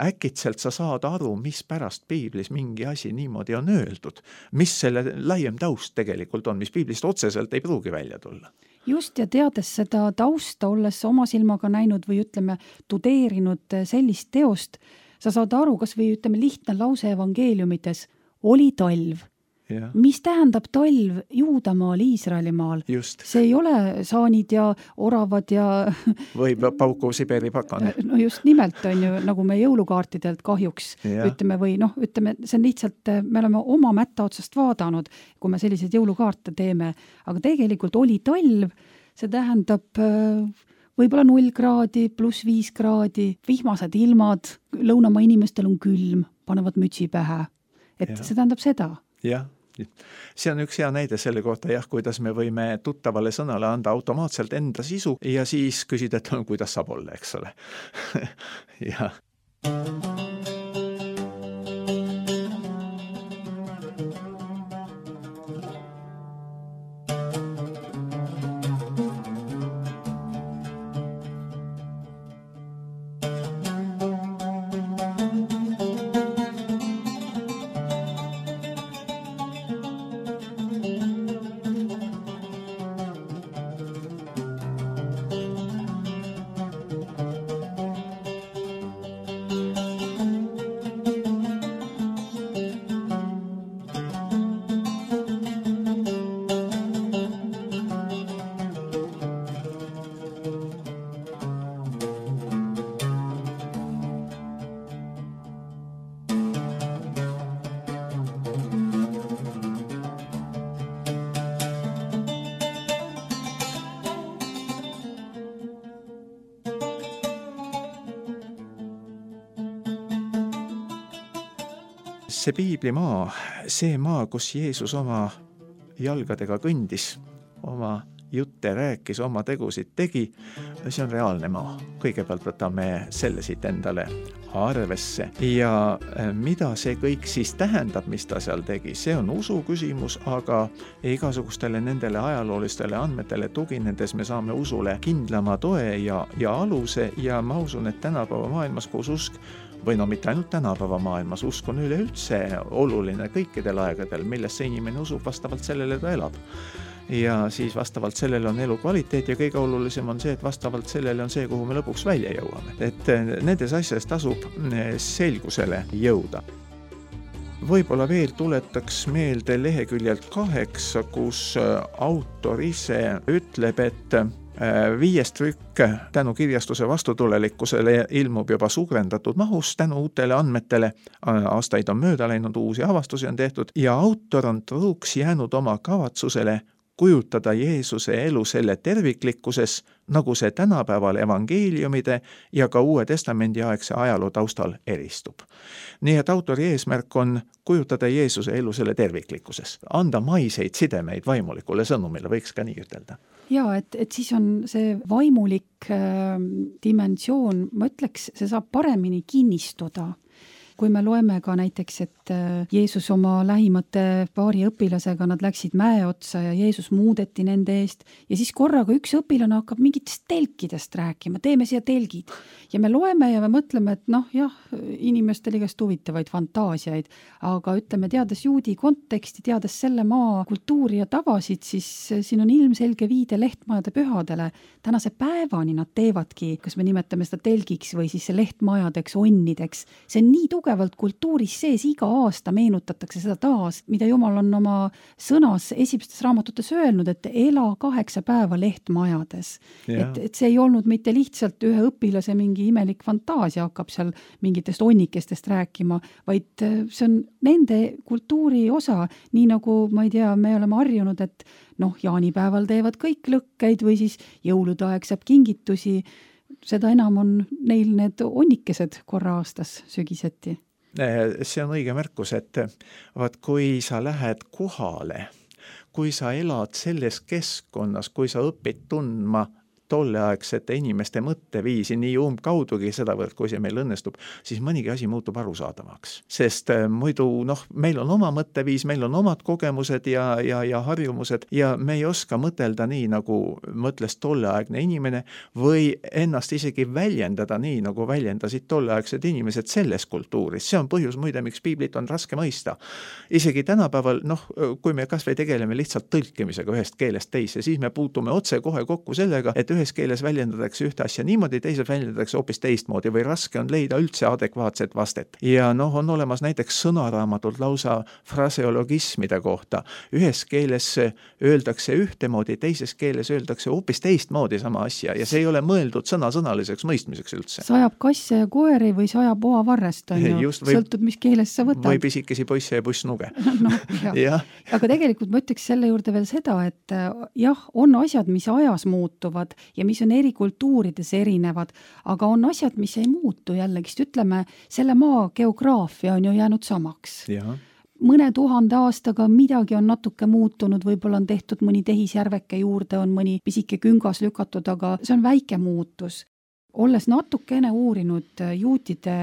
Speaker 3: Äkitselt sa saad aru, mis pärast piiblis mingi asi niimoodi on öeldud, mis selle laiem taust tegelikult on, mis piiblist otseselt ei pruugi välja tulla.
Speaker 2: Just ja teades seda tausta, olles oma silmaga näinud või ütleme tudeerinud sellist teost, sa saad aru, kas või ütleme lihtne lause evangeeliumites, oli talv.
Speaker 3: Ja.
Speaker 2: Mis tähendab talv Juudamaal, Iisraelimaal?
Speaker 3: Just.
Speaker 2: See ei ole saanid ja oravad ja...
Speaker 3: või pauku Siberi pakane.
Speaker 2: No just nimelt on ju, nagu me jõulukaartidelt kahjuks ütleme, või ütleme, see on lihtsalt, me oleme oma mätta otsast vaadanud, kui me selliseid jõulukaarte teeme, aga tegelikult oli talv, see tähendab võib-olla 0 kraadi, +5 kraadi, vihmased ilmad, lõunamaa inimestel on külm, panevad mütsi pähe. Et see tähendab seda.
Speaker 3: Jah. See on üks hea näide selle kohta, kuidas me võime tuttavale sõnale anda automaatselt enda sisu ja siis küsida, et kuidas saab olla, eks ole. Ja. See piiblimaa, see maa, kus Jeesus oma jalgadega kõndis, oma jutte rääkis, oma tegusid tegi, see on reaalne maa. Kõigepealt võtame selle siit endale arvesse. Ja mida see kõik siis tähendab, mis ta seal tegi? See on usu küsimus, aga igasugustele nendele ajaloolistele andmetele tuginedes me saame usule kindlama toe ja aluse ja ma usun, et tänapäeva maailmas, kus usk või mitte ainult tänapäeva maailmas, usk on üleüldse oluline kõikidel aegadel, millesse inimene usub vastavalt sellele ta elab. ja siis vastavalt sellele on elukvaliteet ja kõige olulisem on see, et vastavalt sellele on see, kuhu me lõpuks välja jõuame. Et nendes asjades tasub selgusele jõuda. Võib-olla veel tuletaks meelde leheküljelt 8, kus autor ise ütleb, et 5 trükk tänu kirjastuse vastutulelikkusele ilmub juba suurendatud mahus tänu uutele andmetele. Aastaid on mööda läinud, uusi avastusi on tehtud ja autor on truuks jäänud oma kavatsusele kujutada Jeesuse elu selle terviklikkuses, nagu see tänapäeval evangeeliumide ja ka Uue Testamendi aegse ajaloo taustal eristub. Nii et autori eesmärk on kujutada Jeesuse elu selle terviklikkuses, anda maiseid sidemeid vaimulikule sõnumile, võiks ka nii ütelda.
Speaker 2: Ja, et siis on see vaimulik dimensioon, ma ütleks, see saab paremini kinnistuda. Kui me loeme ka näiteks, et Jeesus oma lähimate paari õpilasega, nad läksid mäe otsa ja Jeesus muudeti nende eest ja siis korraga üks õpilane hakkab mingitest telkidest rääkima, teeme siia telgid. Ja me loeme ja me mõtleme, et jah, inimestel igast huvitavaid fantaasiaid, aga ütleme, teades juudi konteksti, teades selle maa kultuuri ja tavasid, siis siin on ilmselge viide lehtmajade pühadele. Tänase päevani nad teevadki, kas me nimetame seda telgiks või siis lehtmajadeks, onnideks. See on nii tugevalt kultuuris sees, iga aasta meenutatakse seda taas, mida Jumal on oma sõnas esimestes raamatutes öelnud, et ela 8 päeva lehtmajades. Et see ei olnud mitte lihtsalt ühe õpilase mingi imelik fantaasia hakkab seal mingitest onnikestest rääkima, vaid see on nende kultuuri osa, nii nagu, ma ei tea, me oleme harjunud, et jaanipäeval teevad kõik lõkkeid või siis jõulude aeg saab kingitusi, seda enam on neil need onnikesed korra aastas sügiseti.
Speaker 3: See on õige märkus, et kui sa lähed kohale, kui sa elad selles keskkonnas, kui sa õpid tundma tolleaegsete inimeste mõtteviisi nii umbkaudugi sedavõrd, kui see meil õnnestub, siis mõnigi asi muutub arusaadavaks. Sest muidu, meil on oma mõtteviis, meil on omad kogemused ja harjumused ja me ei oska mõtelda nii, nagu mõtles tolleaegne inimene või ennast isegi väljendada nii, nagu väljendasid tolleaegsed inimesed selles kultuuris. See on põhjus muide, miks piiblit on raske mõista. Isegi tänapäeval, kui me kas või tegeleme lihtsalt tõlkimisega ühest keelest teise, siis me puutume otse kohe kokku sellega, et ühes keeles väljendatakse ühte asja niimoodi, teises väljendatakse hoopis teistmoodi või raske on leida üldse adekvaatset vastet. Ja on olemas näiteks sõnaraamatult lausa fraseologismide kohta. Ühes keeles öeldakse ühtemoodi, teises keeles öeldakse hoopis teistmoodi sama asja ja see ei ole mõeldud sõnasõnaliseks mõistmiseks üldse.
Speaker 2: Sajab kasse ja koeri või sajab oavarrest, sõltub, mis keeles sa võtad.
Speaker 3: Või pisikesi poisse ja pussnuge.
Speaker 2: Aga tegelikult ma ütleks selle juurde veel seda, et on asjad, mis ajas muutuvad ja mis on eri kultuurides erinevad, aga on asjad, mis ei muutu jällegi, ütleme, selle maa geograafia on ju jäänud samaks. Mõne 1000 aastaga midagi on natuke muutunud, võib-olla on tehtud mõni tehisjärveke juurde, on mõni pisike küngas lükatud, aga see on väike muutus. Olles natukene uurinud juutide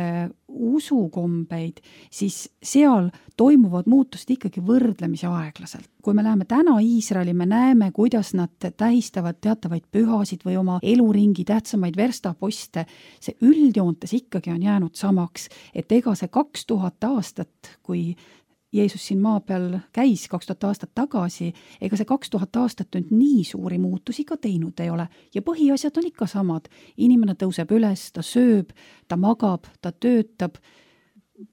Speaker 2: usukombeid, siis seal toimuvad muutust ikkagi võrdlemisi aeglaselt. Kui me läheme täna Iisraeli, me näeme, kuidas nad tähistavad teatavaid pühasid või oma eluringi tähtsamaid verstaposte. See üldjoontes ikkagi on jäänud samaks, et ega see 2000 aastat, kui Jeesus siin maa peal käis 2000 aastat tagasi, ega see 2000 aastat nüüd nii suuri muutusi ka teinud ei ole. Ja põhiasjad on ikka samad. Inimene tõuseb üles, ta sööb, ta magab, ta töötab.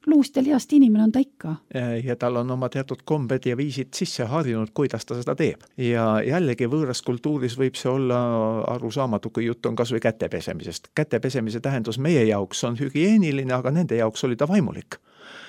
Speaker 2: Luust ja lihast inimene on ta ikka.
Speaker 3: Ja tal on oma teatud kombed ja viisid sisse harjunud, kuidas ta seda teeb. Ja jällegi võõras kultuuris võib see olla arusaamatu, kui jutt on kas või kätepesemisest. Kätepesemise tähendus meie jaoks on hügieeniline, aga nende jaoks oli ta vaimulik.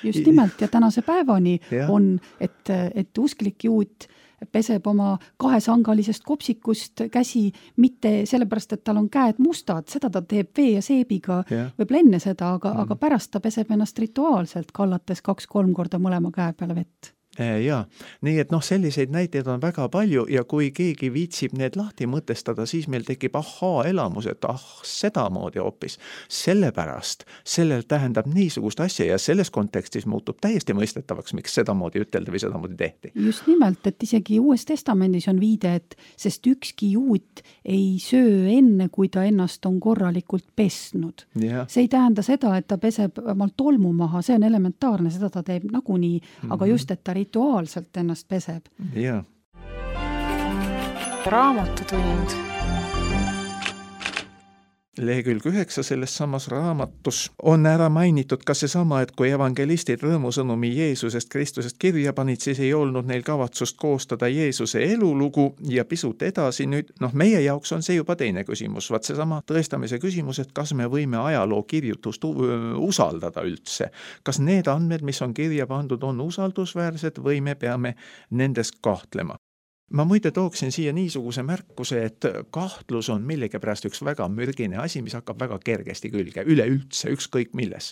Speaker 2: Just nimelt ja tänase päevani on, et usklik juut peseb oma 2-sangalisest kopsikust käsi mitte sellepärast, et tal on käed mustad, seda ta teeb vee ja seebiga, võib enne seda, aga pärast ta peseb ennast rituaalselt, kallates 2-3 korda mõlema käe peale vett.
Speaker 3: Jaa, nii et selliseid näiteid on väga palju ja kui keegi viitsib need lahti mõtestada, siis meil tekib elamus, et sedamoodi hoopis. Sellepärast sellel tähendab niisugust asja ja selles kontekstis muutub täiesti mõistetavaks, miks sedamoodi ütelda või sedamoodi tehti.
Speaker 2: Just nimelt, et isegi Uues Testamendis on viide, et sest ükski juut ei söö enne, kui ta ennast on korralikult pesnud. See ei tähenda seda, et ta peseb omal tolmu maha, see on elementaarne, seda ta teeb nagunii, aga just, et ta rituaalselt ennast peseb.
Speaker 1: Raamatutund.
Speaker 3: Lehekülg 9 selles samas raamatus on ära mainitud ka seesama, et kui evangelistid rõõmusõnumi Jeesusest Kristusest kirja panid, siis ei olnud neil kavatsust koostada Jeesuse elulugu ja pisut edasi nüüd, meie jaoks on see juba teine küsimus, vaat seesama tõestamise küsimus, et kas me võime ajaloo kirjutust usaldada üldse. Kas need andmed, mis on kirja pandud, on usaldusväärsed või me peame nendes kahtlema? Ma muide tooksin siia niisuguse märkuse, et kahtlus on millegipärast üks väga mürgine asi, mis hakkab väga kergesti külge, üleüldse, ükskõik milles.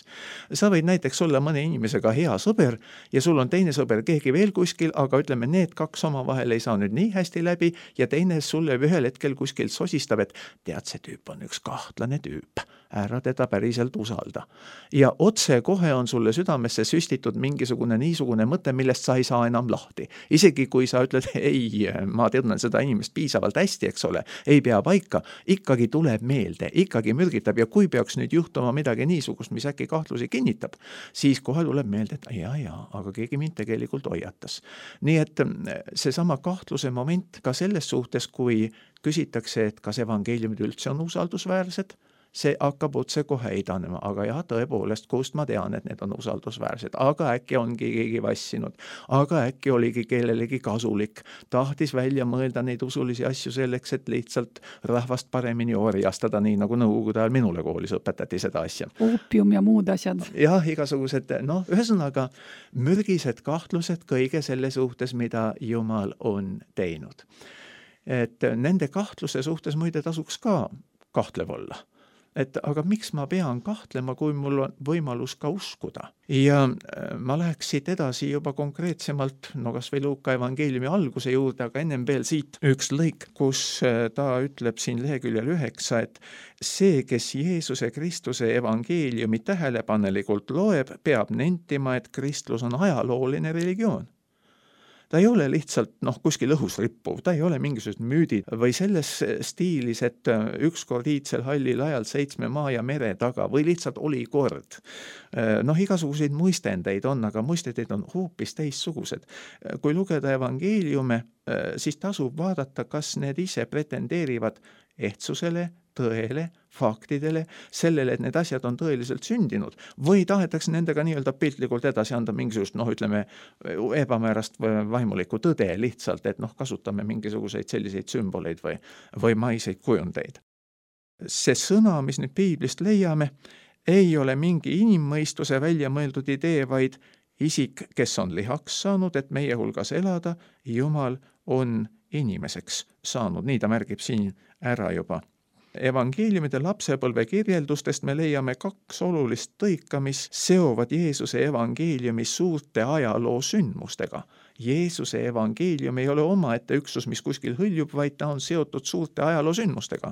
Speaker 3: Sa võid näiteks olla mõne inimesega hea sõber ja sul on teine sõber keegi veel kuskil, aga ütleme, need kaks omavahel ei saa nüüd nii hästi läbi ja teine sulle ühel hetkel kuskil sosistab, et tead, see tüüp on üks kahtlane tüüp, ära teda päriselt usalda. Ja otse kohe on sulle südamesse süstitud mingisugune niisugune mõte, millest sa ei saa enam lahti. Isegi kui sa ütled, ei, ma tean seda inimest piisavalt hästi, eks ole, ei pea paika, ikkagi tuleb meelde, ikkagi mürgitab ja kui peaks nüüd juhtuma midagi niisugust, mis äkki kahtlusi kinnitab, siis kohe tuleb meelde, et aga keegi mind tegelikult hoiatas. Nii et seesama kahtluse moment ka selles suhtes, kui küsitakse, et kas evangeeliumid üldse on usaldusväärsed, see hakkab otse kohe eidanema, aga jah, tõepoolest, kust ma tean, et need on usaldusväärsed, aga äkki ongi keegi vassinud, aga äkki oligi kellelegi kasulik, tahtis välja mõelda neid usulisi asju selleks, et lihtsalt rahvast paremini orjastada, nii nagu nõukogude ajal minule koolis õpetati seda asja.
Speaker 2: Oopium ja muud asjad.
Speaker 3: Jah, igasugused, ühesõnaga mürgised kahtlused kõige selle suhtes, mida Jumal on teinud. Et nende kahtluse suhtes muide tasuks ka kahtlev olla. Aga miks ma pean kahtlema, kui mul on võimalus ka uskuda? Ja ma läheks siit edasi juba konkreetsemalt, kas või Luuka evangeeliumi alguse juurde, aga ennem veel siit üks lõik, kus ta ütleb siin leheküljel 9, et see, kes Jeesuse Kristuse evangeeliumi tähelepanelikult loeb, peab nentima, et kristlus on ajalooline religioon. Ta ei ole lihtsalt kuskil õhus rippuv, ta ei ole mingisugused müüdid või selles stiilis, et ükskord iidsel hallil ajal 7 maa ja mere taga või lihtsalt oli kord. Igasuguseid muistendeid on, aga muistendeid on hoopis teissugused. Kui lugeda evangeeliume, siis tasub vaadata, kas need ise pretendeerivad ehtsusele, tõele, faktidele, sellele, et need asjad on tõeliselt sündinud või tahetakse nendega nii-öelda piltlikult edasi anda mingisugust, ebamäärast vaimulikku tõde lihtsalt, et kasutame mingisuguseid selliseid sümboleid või maiseid kujundeid. See sõna, mis nüüd piiblist leiame, ei ole mingi inimmõistuse välja mõeldud idee, vaid isik, kes on lihaks saanud, et meie hulgas elada, Jumal on inimeseks saanud, nii ta märgib siin ära juba. Evangeeliumide lapsepõlve kirjeldustest me leiame 2 olulist tõika, mis seovad Jeesuse evangeeliumi suurte ajaloo sündmustega. Jeesuse evangeelium ei ole omaette üksus, mis kuskil hõljub, vaid ta on seotud suurte ajaloo sündmustega.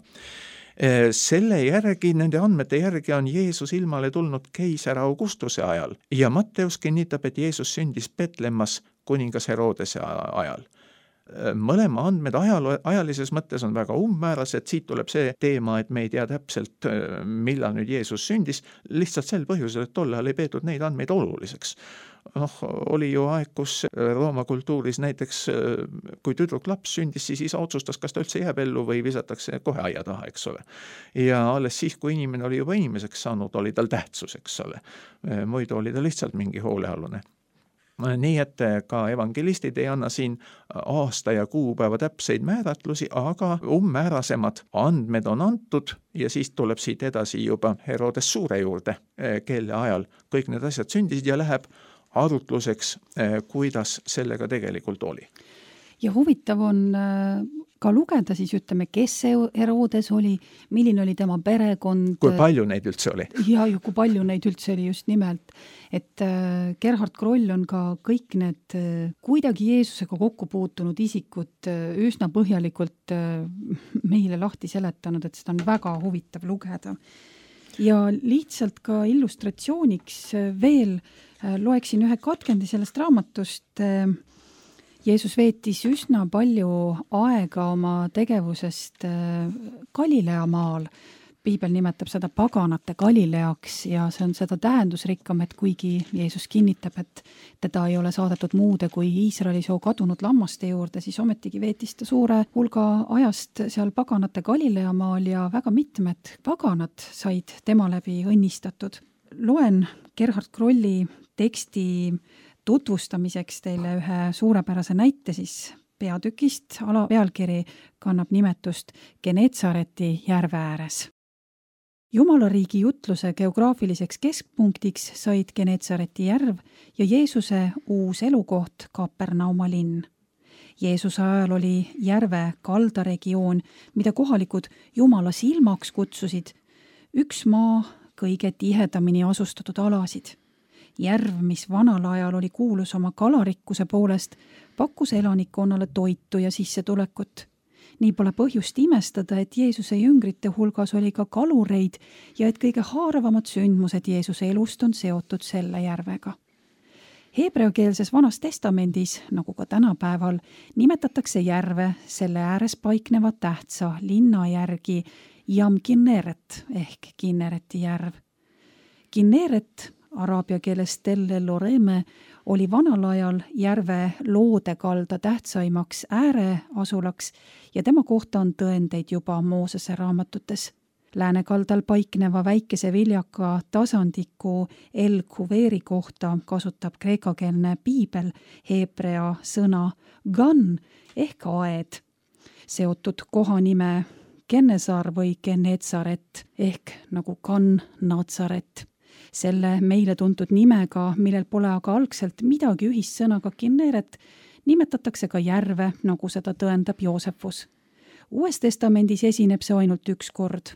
Speaker 3: Selle järgi, nende andmete järgi on Jeesus ilmale tulnud keisar Augustuse ajal ja Matteus kinnitab, et Jeesus sündis Betlemmas kuningas Herodese ajal. Mõlema andmed ajalises mõttes on väga umbmäärased, siit tuleb see teema, et me ei tea täpselt, millal nüüd Jeesus sündis, lihtsalt sel põhjusel, et tollal ei peetud neid andmeid oluliseks. Oli ju aeg, kus Rooma kultuuris näiteks, kui tüdruk laps sündis, siis isa otsustas, kas ta üldse jääb ellu või visatakse kohe aia taha, eks ole. Ja alles siis, kui inimene oli juba inimeseks saanud, oli tal tähtsus, eks ole. Muidu oli ta lihtsalt mingi hoolealune. Nii et ka evangelistid ei anna siin aasta ja kuupäeva täpseid määratlusi, aga umbmäärasemad andmed on antud ja siis tuleb siit edasi juba Herodes Suure juurde, kelle ajal kõik need asjad sündisid ja läheb arutluseks, kuidas sellega tegelikult oli.
Speaker 2: Ja huvitav on ka lugeda siis, kes see Herodes oli, milline oli tema perekond.
Speaker 3: Kui palju neid üldse oli?
Speaker 2: Ja kui palju neid üldse oli just nimelt. Et Gerhard Kroll on ka kõik need kuidagi Jeesusega kokku puutunud isikud üsna põhjalikult meile lahti seletanud, et seda on väga huvitav lugeda. Ja lihtsalt ka illustratsiooniks veel loeksin ühe katkendi sellest raamatust. Jeesus veetis üsna palju aega oma tegevusest Galilea maal, piibel nimetab seda paganate Galileaks ja see on seda tähendusrikkam, et kuigi Jeesus kinnitab, et teda ei ole saadetud muude kui Iisraeli soo kadunud lammaste juurde, siis ometigi veetis ta suure hulga ajast seal paganate Galileamaal ja väga mitmed paganad said tema läbi õnnistatud. Loen Gerhard Krolli teksti tutvustamiseks teile ühe suurepärase näite siis peatükist. Alapealkiri kannab nimetust Geneetsareti järve ääres. Jumalariigi jutluse geograafiliseks keskpunktiks said Geneetsareti järv ja Jeesuse uus elukoht Kapernauma linn. Jeesuse ajal oli järve kaldaregioon, mida kohalikud Jumala silmaks kutsusid, üks maa kõige tihedamini asustatud alasid. Järv, mis vanal ajal oli kuulus oma kalarikkuse poolest, pakkus elanikkonnale toitu ja sissetulekut. Nii pole põhjust imestada, et Jeesuse jüngrite hulgas oli ka kalureid ja et kõige haaravamad sündmused Jeesuse elust on seotud selle järvega. Heebreakeelses Vanas Testamendis, nagu ka tänapäeval, nimetatakse järve selle ääres paikneva tähtsa linna järgi Yam Kinneret ehk Kinnereti järv. Kinneret, araabia keeles Telle Loreme, oli vanal ajal järve loodekalda tähtsaimaks ääreasulaks ja tema kohta on tõendeid juba Moosese raamatutes. Läänekaldal paikneva väikese viljaka tasandiku El Kuveeri kohta kasutab kreekakeelne piibel heebrea sõna gan ehk aed, seotud kohanime Kennesar või Geneetsaret ehk nagu Kan Natsaret. Selle meile tuntud nimega, millel pole aga algselt midagi ühist sõnaga Kinneret, nimetatakse ka järve, nagu seda tõendab Joosefus. Uues testamendis esineb see ainult üks kord,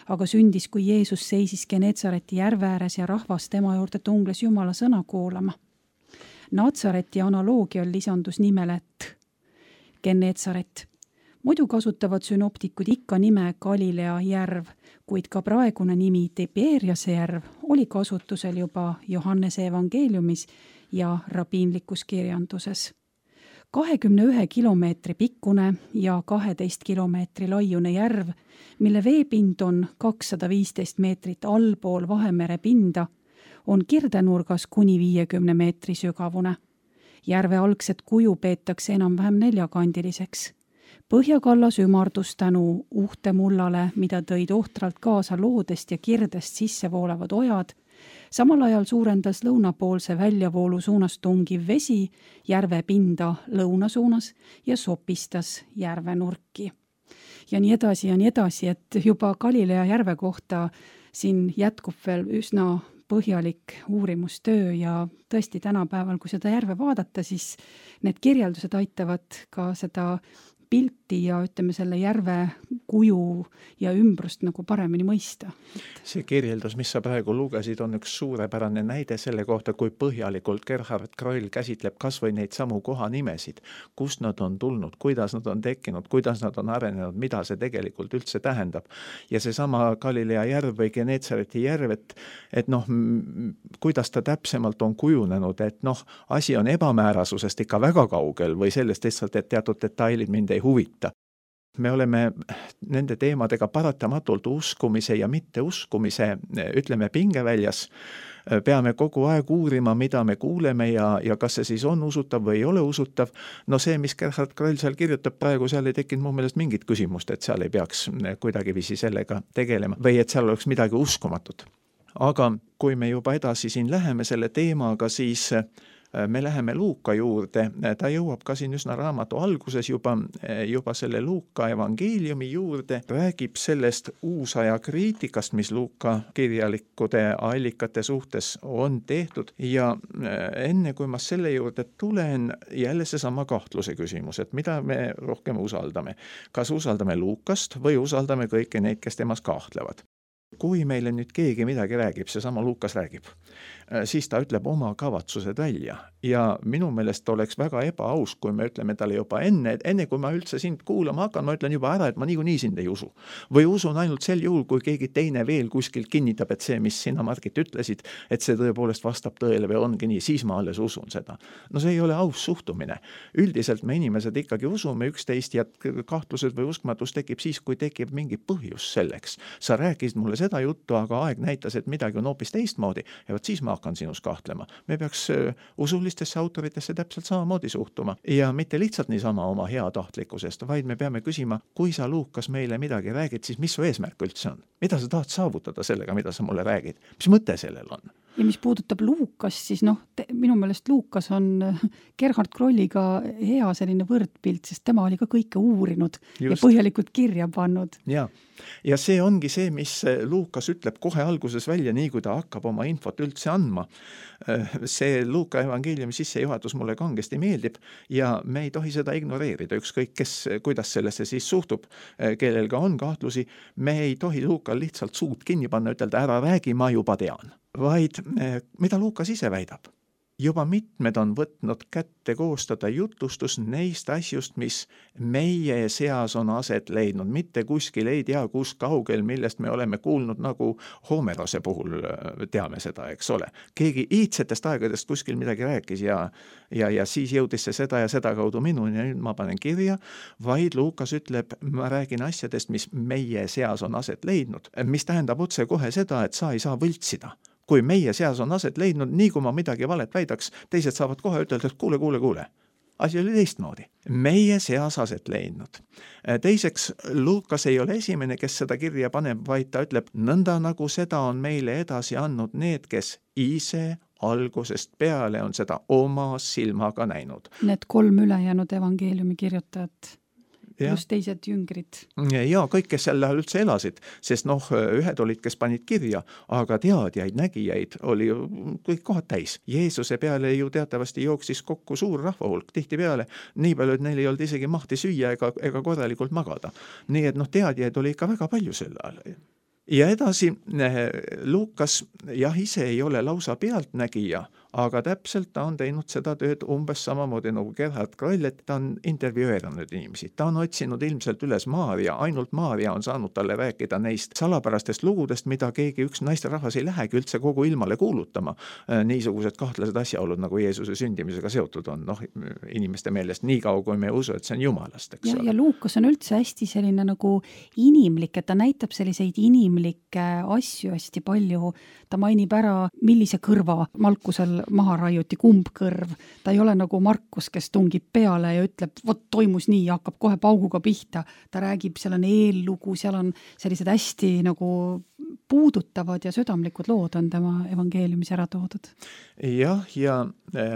Speaker 2: aga sündis, kui Jeesus seisis Geneetsareti järve ääres ja rahvas tema juurde tungles Jumala sõna kuulama. Natsareti analoogial lisandus nimele Geneetsaret. Muidu kasutavad sünoptikud ikka nime Galilea järv, kuid ka praegune nimi Tiberiase järv oli kasutusel juba Johannese evangeeliumis ja rabiinlikus kirjanduses. 21 kilomeetri pikkune ja 12 kilomeetri laiune järv, mille veepind on 215 meetrit allpool Vahemere pinda, on kirdenurgas kuni 50 meetri sügavune. Järve algset kuju peetakse enam-vähem neljakandiliseks. Põhjakallas ümardus tänu uhtemullale, mida tõid ohtralt kaasa loodest ja kirdest sisse voolavad ojad. Samal ajal suurendas lõunapoolse väljavoolu suunas tungiv vesi järve pinda lõuna suunas ja sopistas järve nurki. Ja nii edasi, et juba Galilea järve kohta siin jätkub veel üsna põhjalik uurimustöö ja tõesti tänapäeval, kui seda järve vaadata, siis need kirjeldused aitavad ka seda pilti ja ütleme selle järve kuju ja ümbrust nagu paremini mõista.
Speaker 3: See kirjeldus, mis sa praegu lugesid, on üks suurepärane näide selle kohta, kui põhjalikult Gerhard Kroll käsitleb kas või neid samu kohanimesid, kust nad on tulnud, kuidas nad on tekkinud, kuidas nad on arenenud, mida see tegelikult üldse tähendab. Ja see sama Galilea järv või Geneetsareti järv, et kuidas ta täpsemalt on kujunenud, et asi on ebamäärasusest ikka väga kaugel või sellest lihtsalt, et teatud detailid mind ei huvita. Me oleme nende teemadega paratamatult uskumise ja mitteuskumise, ütleme, pingeväljas. Peame kogu aeg uurima, mida me kuuleme ja kas see siis on usutav või ei ole usutav. See, mis Gerhard Kroll seal kirjutab praegu, seal ei tekkinud mu meelest mingit küsimust, et seal ei peaks kuidagiviisi sellega tegelema või et seal oleks midagi uskumatut. Aga kui me juba edasi siin läheme selle teemaga, siis me läheme Luuka juurde, ta jõuab ka siin üsna raamatu alguses juba selle Luuka evangeeliumi juurde, räägib sellest uusaja kriitikast, mis Luuka kirjalikude allikate suhtes on tehtud ja enne kui ma selle juurde tulen, jälle seesama kahtluse küsimus, et mida me rohkem usaldame. Kas usaldame Luukast või usaldame kõiki neid, kes temas kahtlevad? Kui meile nüüd keegi midagi räägib, seesama Luukas räägib, siis ta ütleb oma kavatsused välja. Ja minu meelest oleks väga ebaaus, kui me ütleme talle juba enne kui ma üldse sind kuulama hakkan, ma ütlen juba ära, et ma niikuinii sind ei usu. Või usun ainult sel juhul, kui keegi teine veel kuskilt kinnitab, et see, mis sina, Margit, ütlesid, et see tõepoolest vastab tõele või ongi nii, siis ma alles usun seda. No see ei ole aus suhtumine. Üldiselt me inimesed ikkagi usume üksteist ja kahtlused või uskmatus tekib siis, kui tekib mingi põhjus selleks. Sa rääkisid mulle seda juttu, aga aeg näitas, et midagi on hoopis teistmoodi ja võt siis ma hakkan sinus kahtlema. Me peaks usulistesse autoritesse täpselt samamoodi suhtuma ja mitte lihtsalt niisama oma heatahtlikkusest, vaid me peame küsima, kui sa, Luukas, meile midagi räägid, siis mis su eesmärk üldse on? Mida sa tahad saavutada sellega, mida sa mulle räägid? Mis mõte sellel on?
Speaker 2: Ja mis puudutab Luukast, siis minu meelest Luukas on Gerhard Krolliga hea selline võrdpilt, sest tema oli ka kõike uurinud ja põhjalikult kirja pannud.
Speaker 3: Ja see ongi see, mis Luukas ütleb kohe alguses välja, nii kui ta hakkab oma infot üldse andma. See Luuka evangeeliumi sissejuhatus mulle kangesti meeldib ja me ei tohi seda ignoreerida, ükskõik kuidas sellesse siis suhtub, kellel ka on kahtlusi. Me ei tohi Luukal lihtsalt suud kinni panna, ütelda ära räägi, ma juba tean. Vaid mida Luukas ise väidab? Juba mitmed on võtnud kätte koostada jutustus neist asjust, mis meie seas on aset leidnud, mitte kuskil ei tea, kus kaugel, millest me oleme kuulnud, nagu Homerose puhul teame seda, eks ole. Keegi iidsetest aegadest kuskil midagi rääkis ja siis jõudis see seda ja seda kaudu minuni ja nüüd ma panen kirja, vaid Luukas ütleb, ma räägin asjadest, mis meie seas on aset leidnud, mis tähendab otse kohe seda, et sa ei saa võltsida. Kui meie seas on aset leidnud, nii kui ma midagi valet väidaks, teised saavad kohe ütelda, et kuule. Asi oli teistmoodi. Meie seas aset leidnud. Teiseks, Luukas ei ole esimene, kes seda kirja paneb, vaid ta ütleb, nõnda nagu seda on meile edasi andnud need, kes ise algusest peale on seda oma silmaga näinud.
Speaker 2: Need 3 ülejäänud evangeeliumi kirjutajat. Plus teised jüngrid.
Speaker 3: Ja kõik, kes seal üldse elasid, sest ühed olid, kes panid kirja, aga teadjaid, nägijaid oli kõik kohad täis. Jeesuse peale ju teatavasti jooksis kokku suur rahvahulk tihti peale, nii palju, et neil ei olnud isegi mahti süüa ega korralikult magada. Nii et teadjaid oli ikka väga palju sel ajal. Ja edasi, Luukas ise ei ole lausa pealtnägija, aga täpselt ta on teinud seda tööd umbes samamoodi nagu Gerhard Kroll, et ta on intervjueerinud inimesi. Ta on otsinud ilmselt üles Maarja, ainult Maarja on saanud talle rääkida neist salapärastest lugudest, mida keegi üks naisterahvas ei lähegi üldse kogu ilmale kuulutama. Niisugused kahtlased asjaolud, nagu Jeesuse sündimisega seotud on, inimeste meelest nii kaua, kui me usu, et see on Jumalast.
Speaker 2: Ja Luukas on üldse hästi selline nagu inimlik, et ta näitab selliseid inimlikke asju hästi palju. Ta mainib ära, millise kõrva Malkusel maha raiuti, kumb kõrv. Ta ei ole nagu Markus, kes tungib peale ja ütleb, vot toimus nii ja hakkab kohe pauguga pihta. Ta räägib, seal on eellugu, seal on sellised hästi nagu puudutavad ja südamlikud lood on tema evangeeliumis ära toodud.
Speaker 3: Jah, ja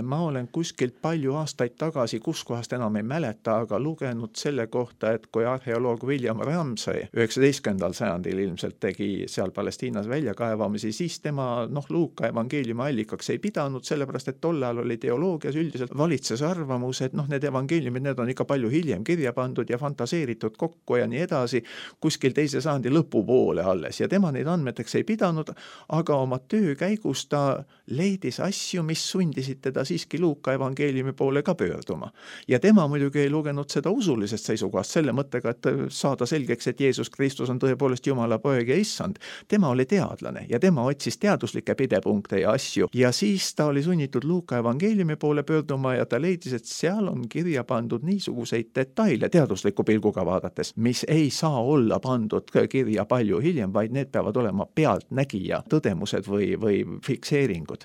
Speaker 3: ma olen kuskilt palju aastaid tagasi, kuskohast enam ei mäleta, aga lugenud selle kohta, et kui arheoloog William Ramsay 19. sajandil ilmselt tegi seal Palestiinas väljakaevamisi, siis tema Luuka evangeeliumi allikaks ei pidanud, sellepärast et tollal oli teoloogias üldiselt valitses arvamus, et need evangeeliumid, need on ikka palju hiljem kirja pandud ja fantaseeritud kokku ja nii edasi, kuskil 2. sajandi lõpupoole alles ja tema neid andmeteks ei pidanud, aga oma töö käigus ta leidis asju, mis sundisid teda siiski Luuka evangeeliumi poole ka pöörduma. Ja tema muidugi ei lugenud seda usulisest seisukohast selle mõttega, et saada selgeks, et Jeesus Kristus on tõepoolest Jumala poeg ja issand. Tema oli teadlane ja tema otsis teaduslikke pidepunkte ja asju ja siis ta oli sunnitud Luuka evangeeliumi poole pöörduma ja ta leidis, et seal on kirja pandud niisuguseid detaile teadusliku pilguga vaadates, mis ei saa olla pandud kirja palju hiljem, vaid need peavad olema pealtnägija tõdemused või fikseeringud.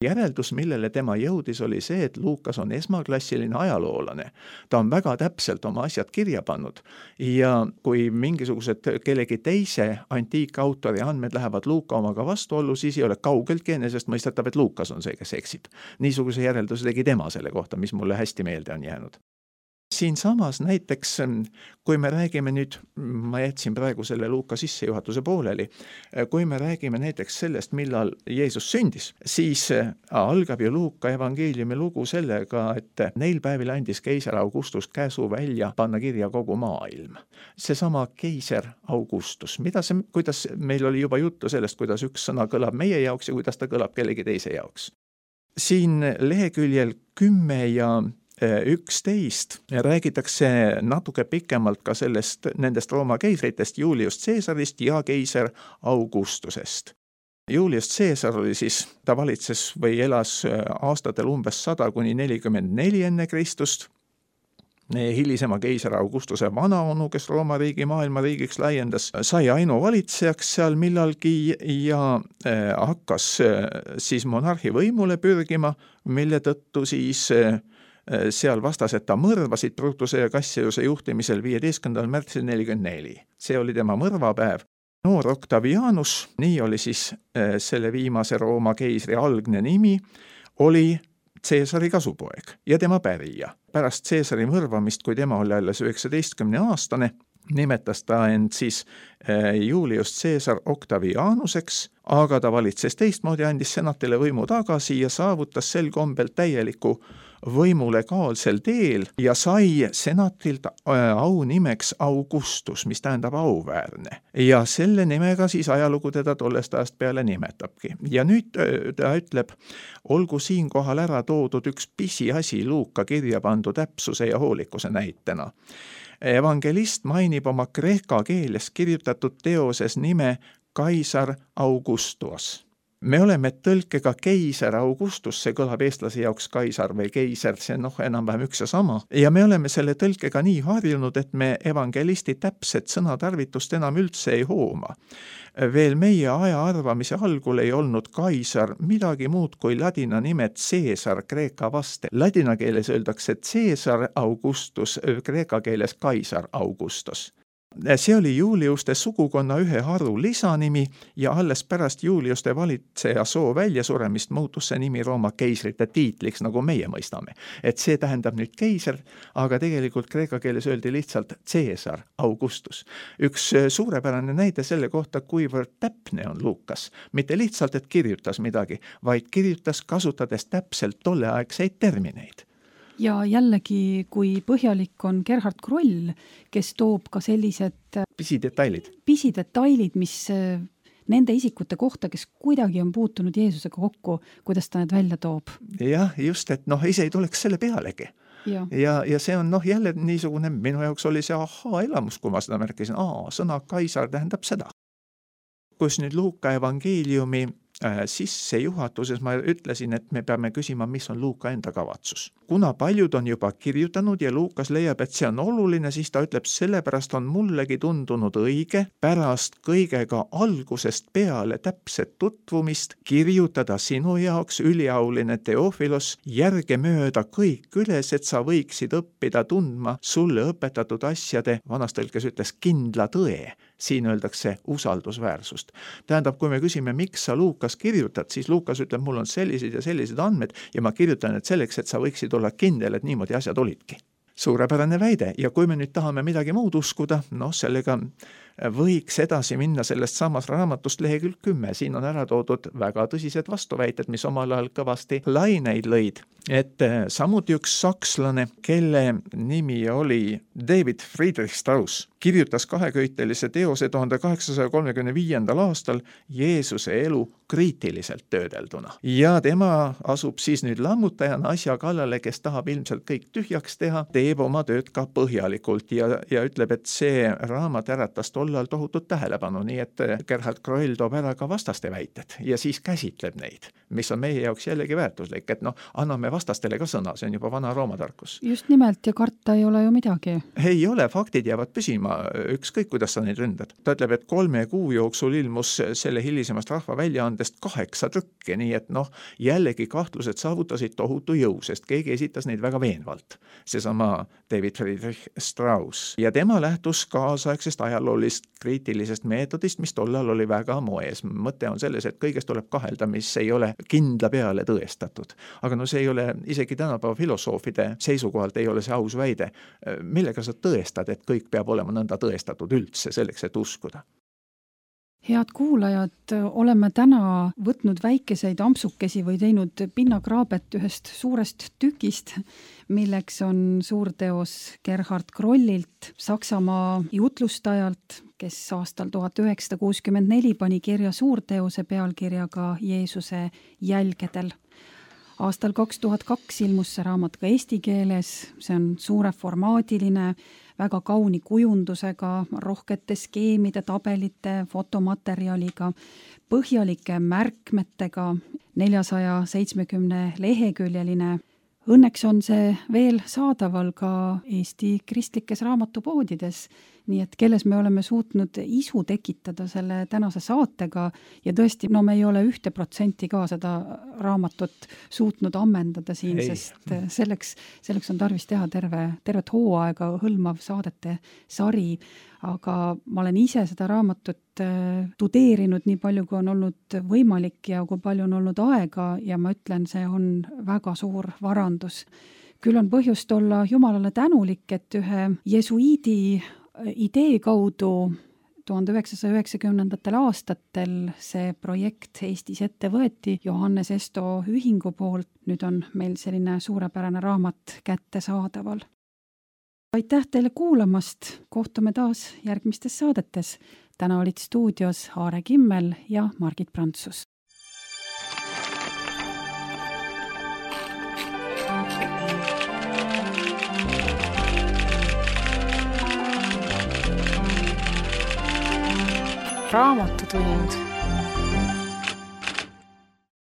Speaker 3: Järeldus, millele tema jõudis, oli see, et Luukas on esmaklassiline ajaloolane. Ta on väga täpselt oma asjad kirja pannud ja kui mingisugused kellegi teise antiikautori andmed lähevad Luuka omaga vastuollu, siis ei ole kaugeltki enesestmõistetav, et Luukas on see, kes eksib. Niisuguse järelduse tegi tema selle kohta, mis mulle hästi meelde on jäänud. siinsamas näiteks, kui me räägime nüüd, ma jätsin praegu selle Luuka sissejuhatuse pooleli, kui me räägime näiteks sellest, millal Jeesus sündis, siis algab ju Luuka evangeeliumi lugu sellega, et neil päevil andis keiser Augustus käsu välja panna kirja kogu maailm. Seesama keiser Augustus, kuidas meil oli juba juttu sellest, kuidas üks sõna kõlab meie jaoks ja kuidas ta kõlab kellegi teise jaoks. Siin leheküljel 10 ja 11 räägitakse natuke pikemalt ka nendest Rooma keisritest, Julius Caesarist ja keiser Augustusest. Julius Caesar oli siis, ta valitses või elas aastatel umbes 100–44 enne Kristust. Hilisema keiser Augustuse vanaonu, kes Rooma riigi maailmariigiks laiendas, sai ainuvalitsejaks seal millalgi ja hakkas siis monarhi võimule pürgima, mille tõttu siis seal vastased ta mõrvasid Brutuse ja Cassiuse juhtimisel 15. märtsil 44. See oli tema mõrvapäev. Noor Octavianus, nii oli siis selle viimase Rooma keisri algne nimi, oli Caesari kasupoeg ja tema pärija. Pärast Caesari mõrvamist, kui tema oli alles 19-aastane, nimetas ta end siis Julius Caesar Octavianuseks, aga ta valitses teistmoodi, andis senatile võimu tagasi ja saavutas sel kombel täieliku võimu legaalsel teel ja sai senatilt aunimeks Augustus, mis tähendab auväärne. Ja selle nimega siis ajalugu teda tollest ajast peale nimetabki. Ja nüüd ta ütleb, olgu siinkohal ära toodud üks pisiasi Luuka kirja pandu täpsuse ja hoolikuse näitena. Evangelist mainib oma kreeka keeles kirjutatud teoses nime Kaisar Augustus. Me oleme tõlkega keiser Augustus, see kõlab eestlase jaoks kaisar või keiser, see enam-vähem üks ja sama. Ja me oleme selle tõlkega nii harjunud, et me evangelisti täpset sõnatarvitust enam üldse ei hooma. Veel meie aja arvamise algul ei olnud kaisar midagi muud kui ladina nime Caesar kreeka vaste. Ladina keeles öeldakse Caesar Augustus, kreeka keeles kaisar Augustus. See oli Juliuste sugukonna ühe haru lisanimi ja alles pärast Juliuste valitseja soo väljasuremist muutus see nimi Rooma keisrite tiitliks, nagu meie mõistame. Et see tähendab nüüd keiser, aga tegelikult kreeka keeles öeldi lihtsalt Caesar Augustus. Üks suurepärane näide selle kohta, kuivõrd täpne on Luukas. Mitte lihtsalt, et kirjutas midagi, vaid kirjutas kasutades täpselt tolleaegseid termineid.
Speaker 2: Ja jällegi, kui põhjalik on Gerhard Kroll, kes toob ka sellised pisidetailid, mis nende isikute kohta, kes kuidagi on puutunud Jeesusega kokku, kuidas ta need välja toob.
Speaker 3: Jah, just, et ise ei tuleks selle pealegi. Ja see on jälle niisugune, minu jaoks oli see elamus, kui ma seda märkisin. Sõna kaisar tähendab seda. Kus nüüd Luuka evangeeliumi sissejuhatuses ma ütlesin, et me peame küsima, mis on Luuka enda kavatsus. Kuna paljud on juba kirjutanud ja Luukas leiab, et see on oluline, siis ta ütleb, sellepärast on mullegi tundunud õige pärast kõigega algusest peale täpset tutvumist kirjutada sinu jaoks, üliauline Teofilos, järgemööda kõik üles, et sa võiksid õppida tundma sulle õpetatud asjade, vanas tõlkes ütles kindla tõe. Siin öeldakse usaldusväärsust. Tähendab, kui me küsime, miks sa Luukas kirjutad, siis Luukas ütleb, mul on sellised ja sellised andmed ja ma kirjutan need selleks, et sa võiksid olla kindel, et niimoodi asjad olidki. Suurepärane väide ja kui me nüüd tahame midagi muud uskuda, sellega võiks edasi minna sellest samas raamatust lehekülg 10. Siin on ära toodud väga tõsised vastuväited, mis omal ajal kõvasti laineid lõid. Et samuti üks sakslane, kelle nimi oli David Friedrich Strauss, kirjutas kaheköitelise teose 1835. aastal Jeesuse elu kriitiliselt töödelduna. Ja tema asub siis nüüd lammutajana asja kallale, kes tahab ilmselt kõik tühjaks teha, teeb oma tööd ka põhjalikult ja ütleb, et see raamat äratas tollal tohutut tähelepanu, nii et Gerhard Kroll toob ära ka vastaste väited ja siis käsitleb neid, mis on meie jaoks jällegi väärtuslik, et anname vastastele ka sõna, see on juba vana Rooma tarkus.
Speaker 2: Just nimelt ja karta ei ole ju midagi.
Speaker 3: Ei ole, faktid jäävad püsima, ükskõik kuidas sa neid ründad. Ta ütleb, et 3 kuu jooksul ilmus selle hilisemast rahva väljaandest 8 trükki, nii et jällegi kahtlused saavutasid tohutu jõu, sest keegi esitas neid väga veenvalt. Seesama David Friedrich Strauss ja tema lähtus kaasaegsest ajaloolisest sellisest kriitilisest meetodist, mis tollal oli väga moes. Mõte on selles, et kõigest tuleb kahelda, mis ei ole kindla peale tõestatud. Aga no see ei ole, isegi tänapäeva filosoofide seisukohalt ei ole see aus väide. Millega sa tõestad, et kõik peab olema nõnda tõestatud üldse selleks, et uskuda?
Speaker 2: Head kuulajad, oleme täna võtnud väikeseid ampsukesi või teinud pinnakraabet ühest suurest tükist, milleks on suurteos Gerhard Krollilt, Saksamaa jutlustajalt, kes aastal 1964 pani kirja suurteose pealkirjaga Jeesuse jälgedel. Aastal 2002 ilmus see raamat ka eesti keeles, see on suureformaadiline, väga kauni kujundusega, rohkete skeemide, tabelite, fotomaterjaliga, põhjalike märkmetega, 470 leheküljeline. Õnneks on see veel saadaval ka Eesti kristlikes raamatupoodides, nii et kelles me oleme suutnud isu tekitada selle tänase saatega ja tõesti, no me ei ole 1% ka seda raamatut suutnud ammendada siin, sest selleks on tarvis teha tervet hooaega hõlmav saadete sari, aga ma olen ise seda raamatut tudeerinud nii palju, kui on olnud võimalik ja kui palju on olnud aega ja ma ütlen, see on väga suur varandus. Küll on põhjust olla Jumalale tänulik, et ühe jesuiidi idee kaudu 1990. aastatel see projekt Eestis ette võeti Johannes Esto ühingu poolt. Nüüd on meil selline suurepärane raamat kättesaadaval. Aitäh teile kuulamast, kohtume taas järgmistes saadetes. Täna olid stuudios Aare Kimmel ja Margit Prantsus.
Speaker 1: Raamatutund.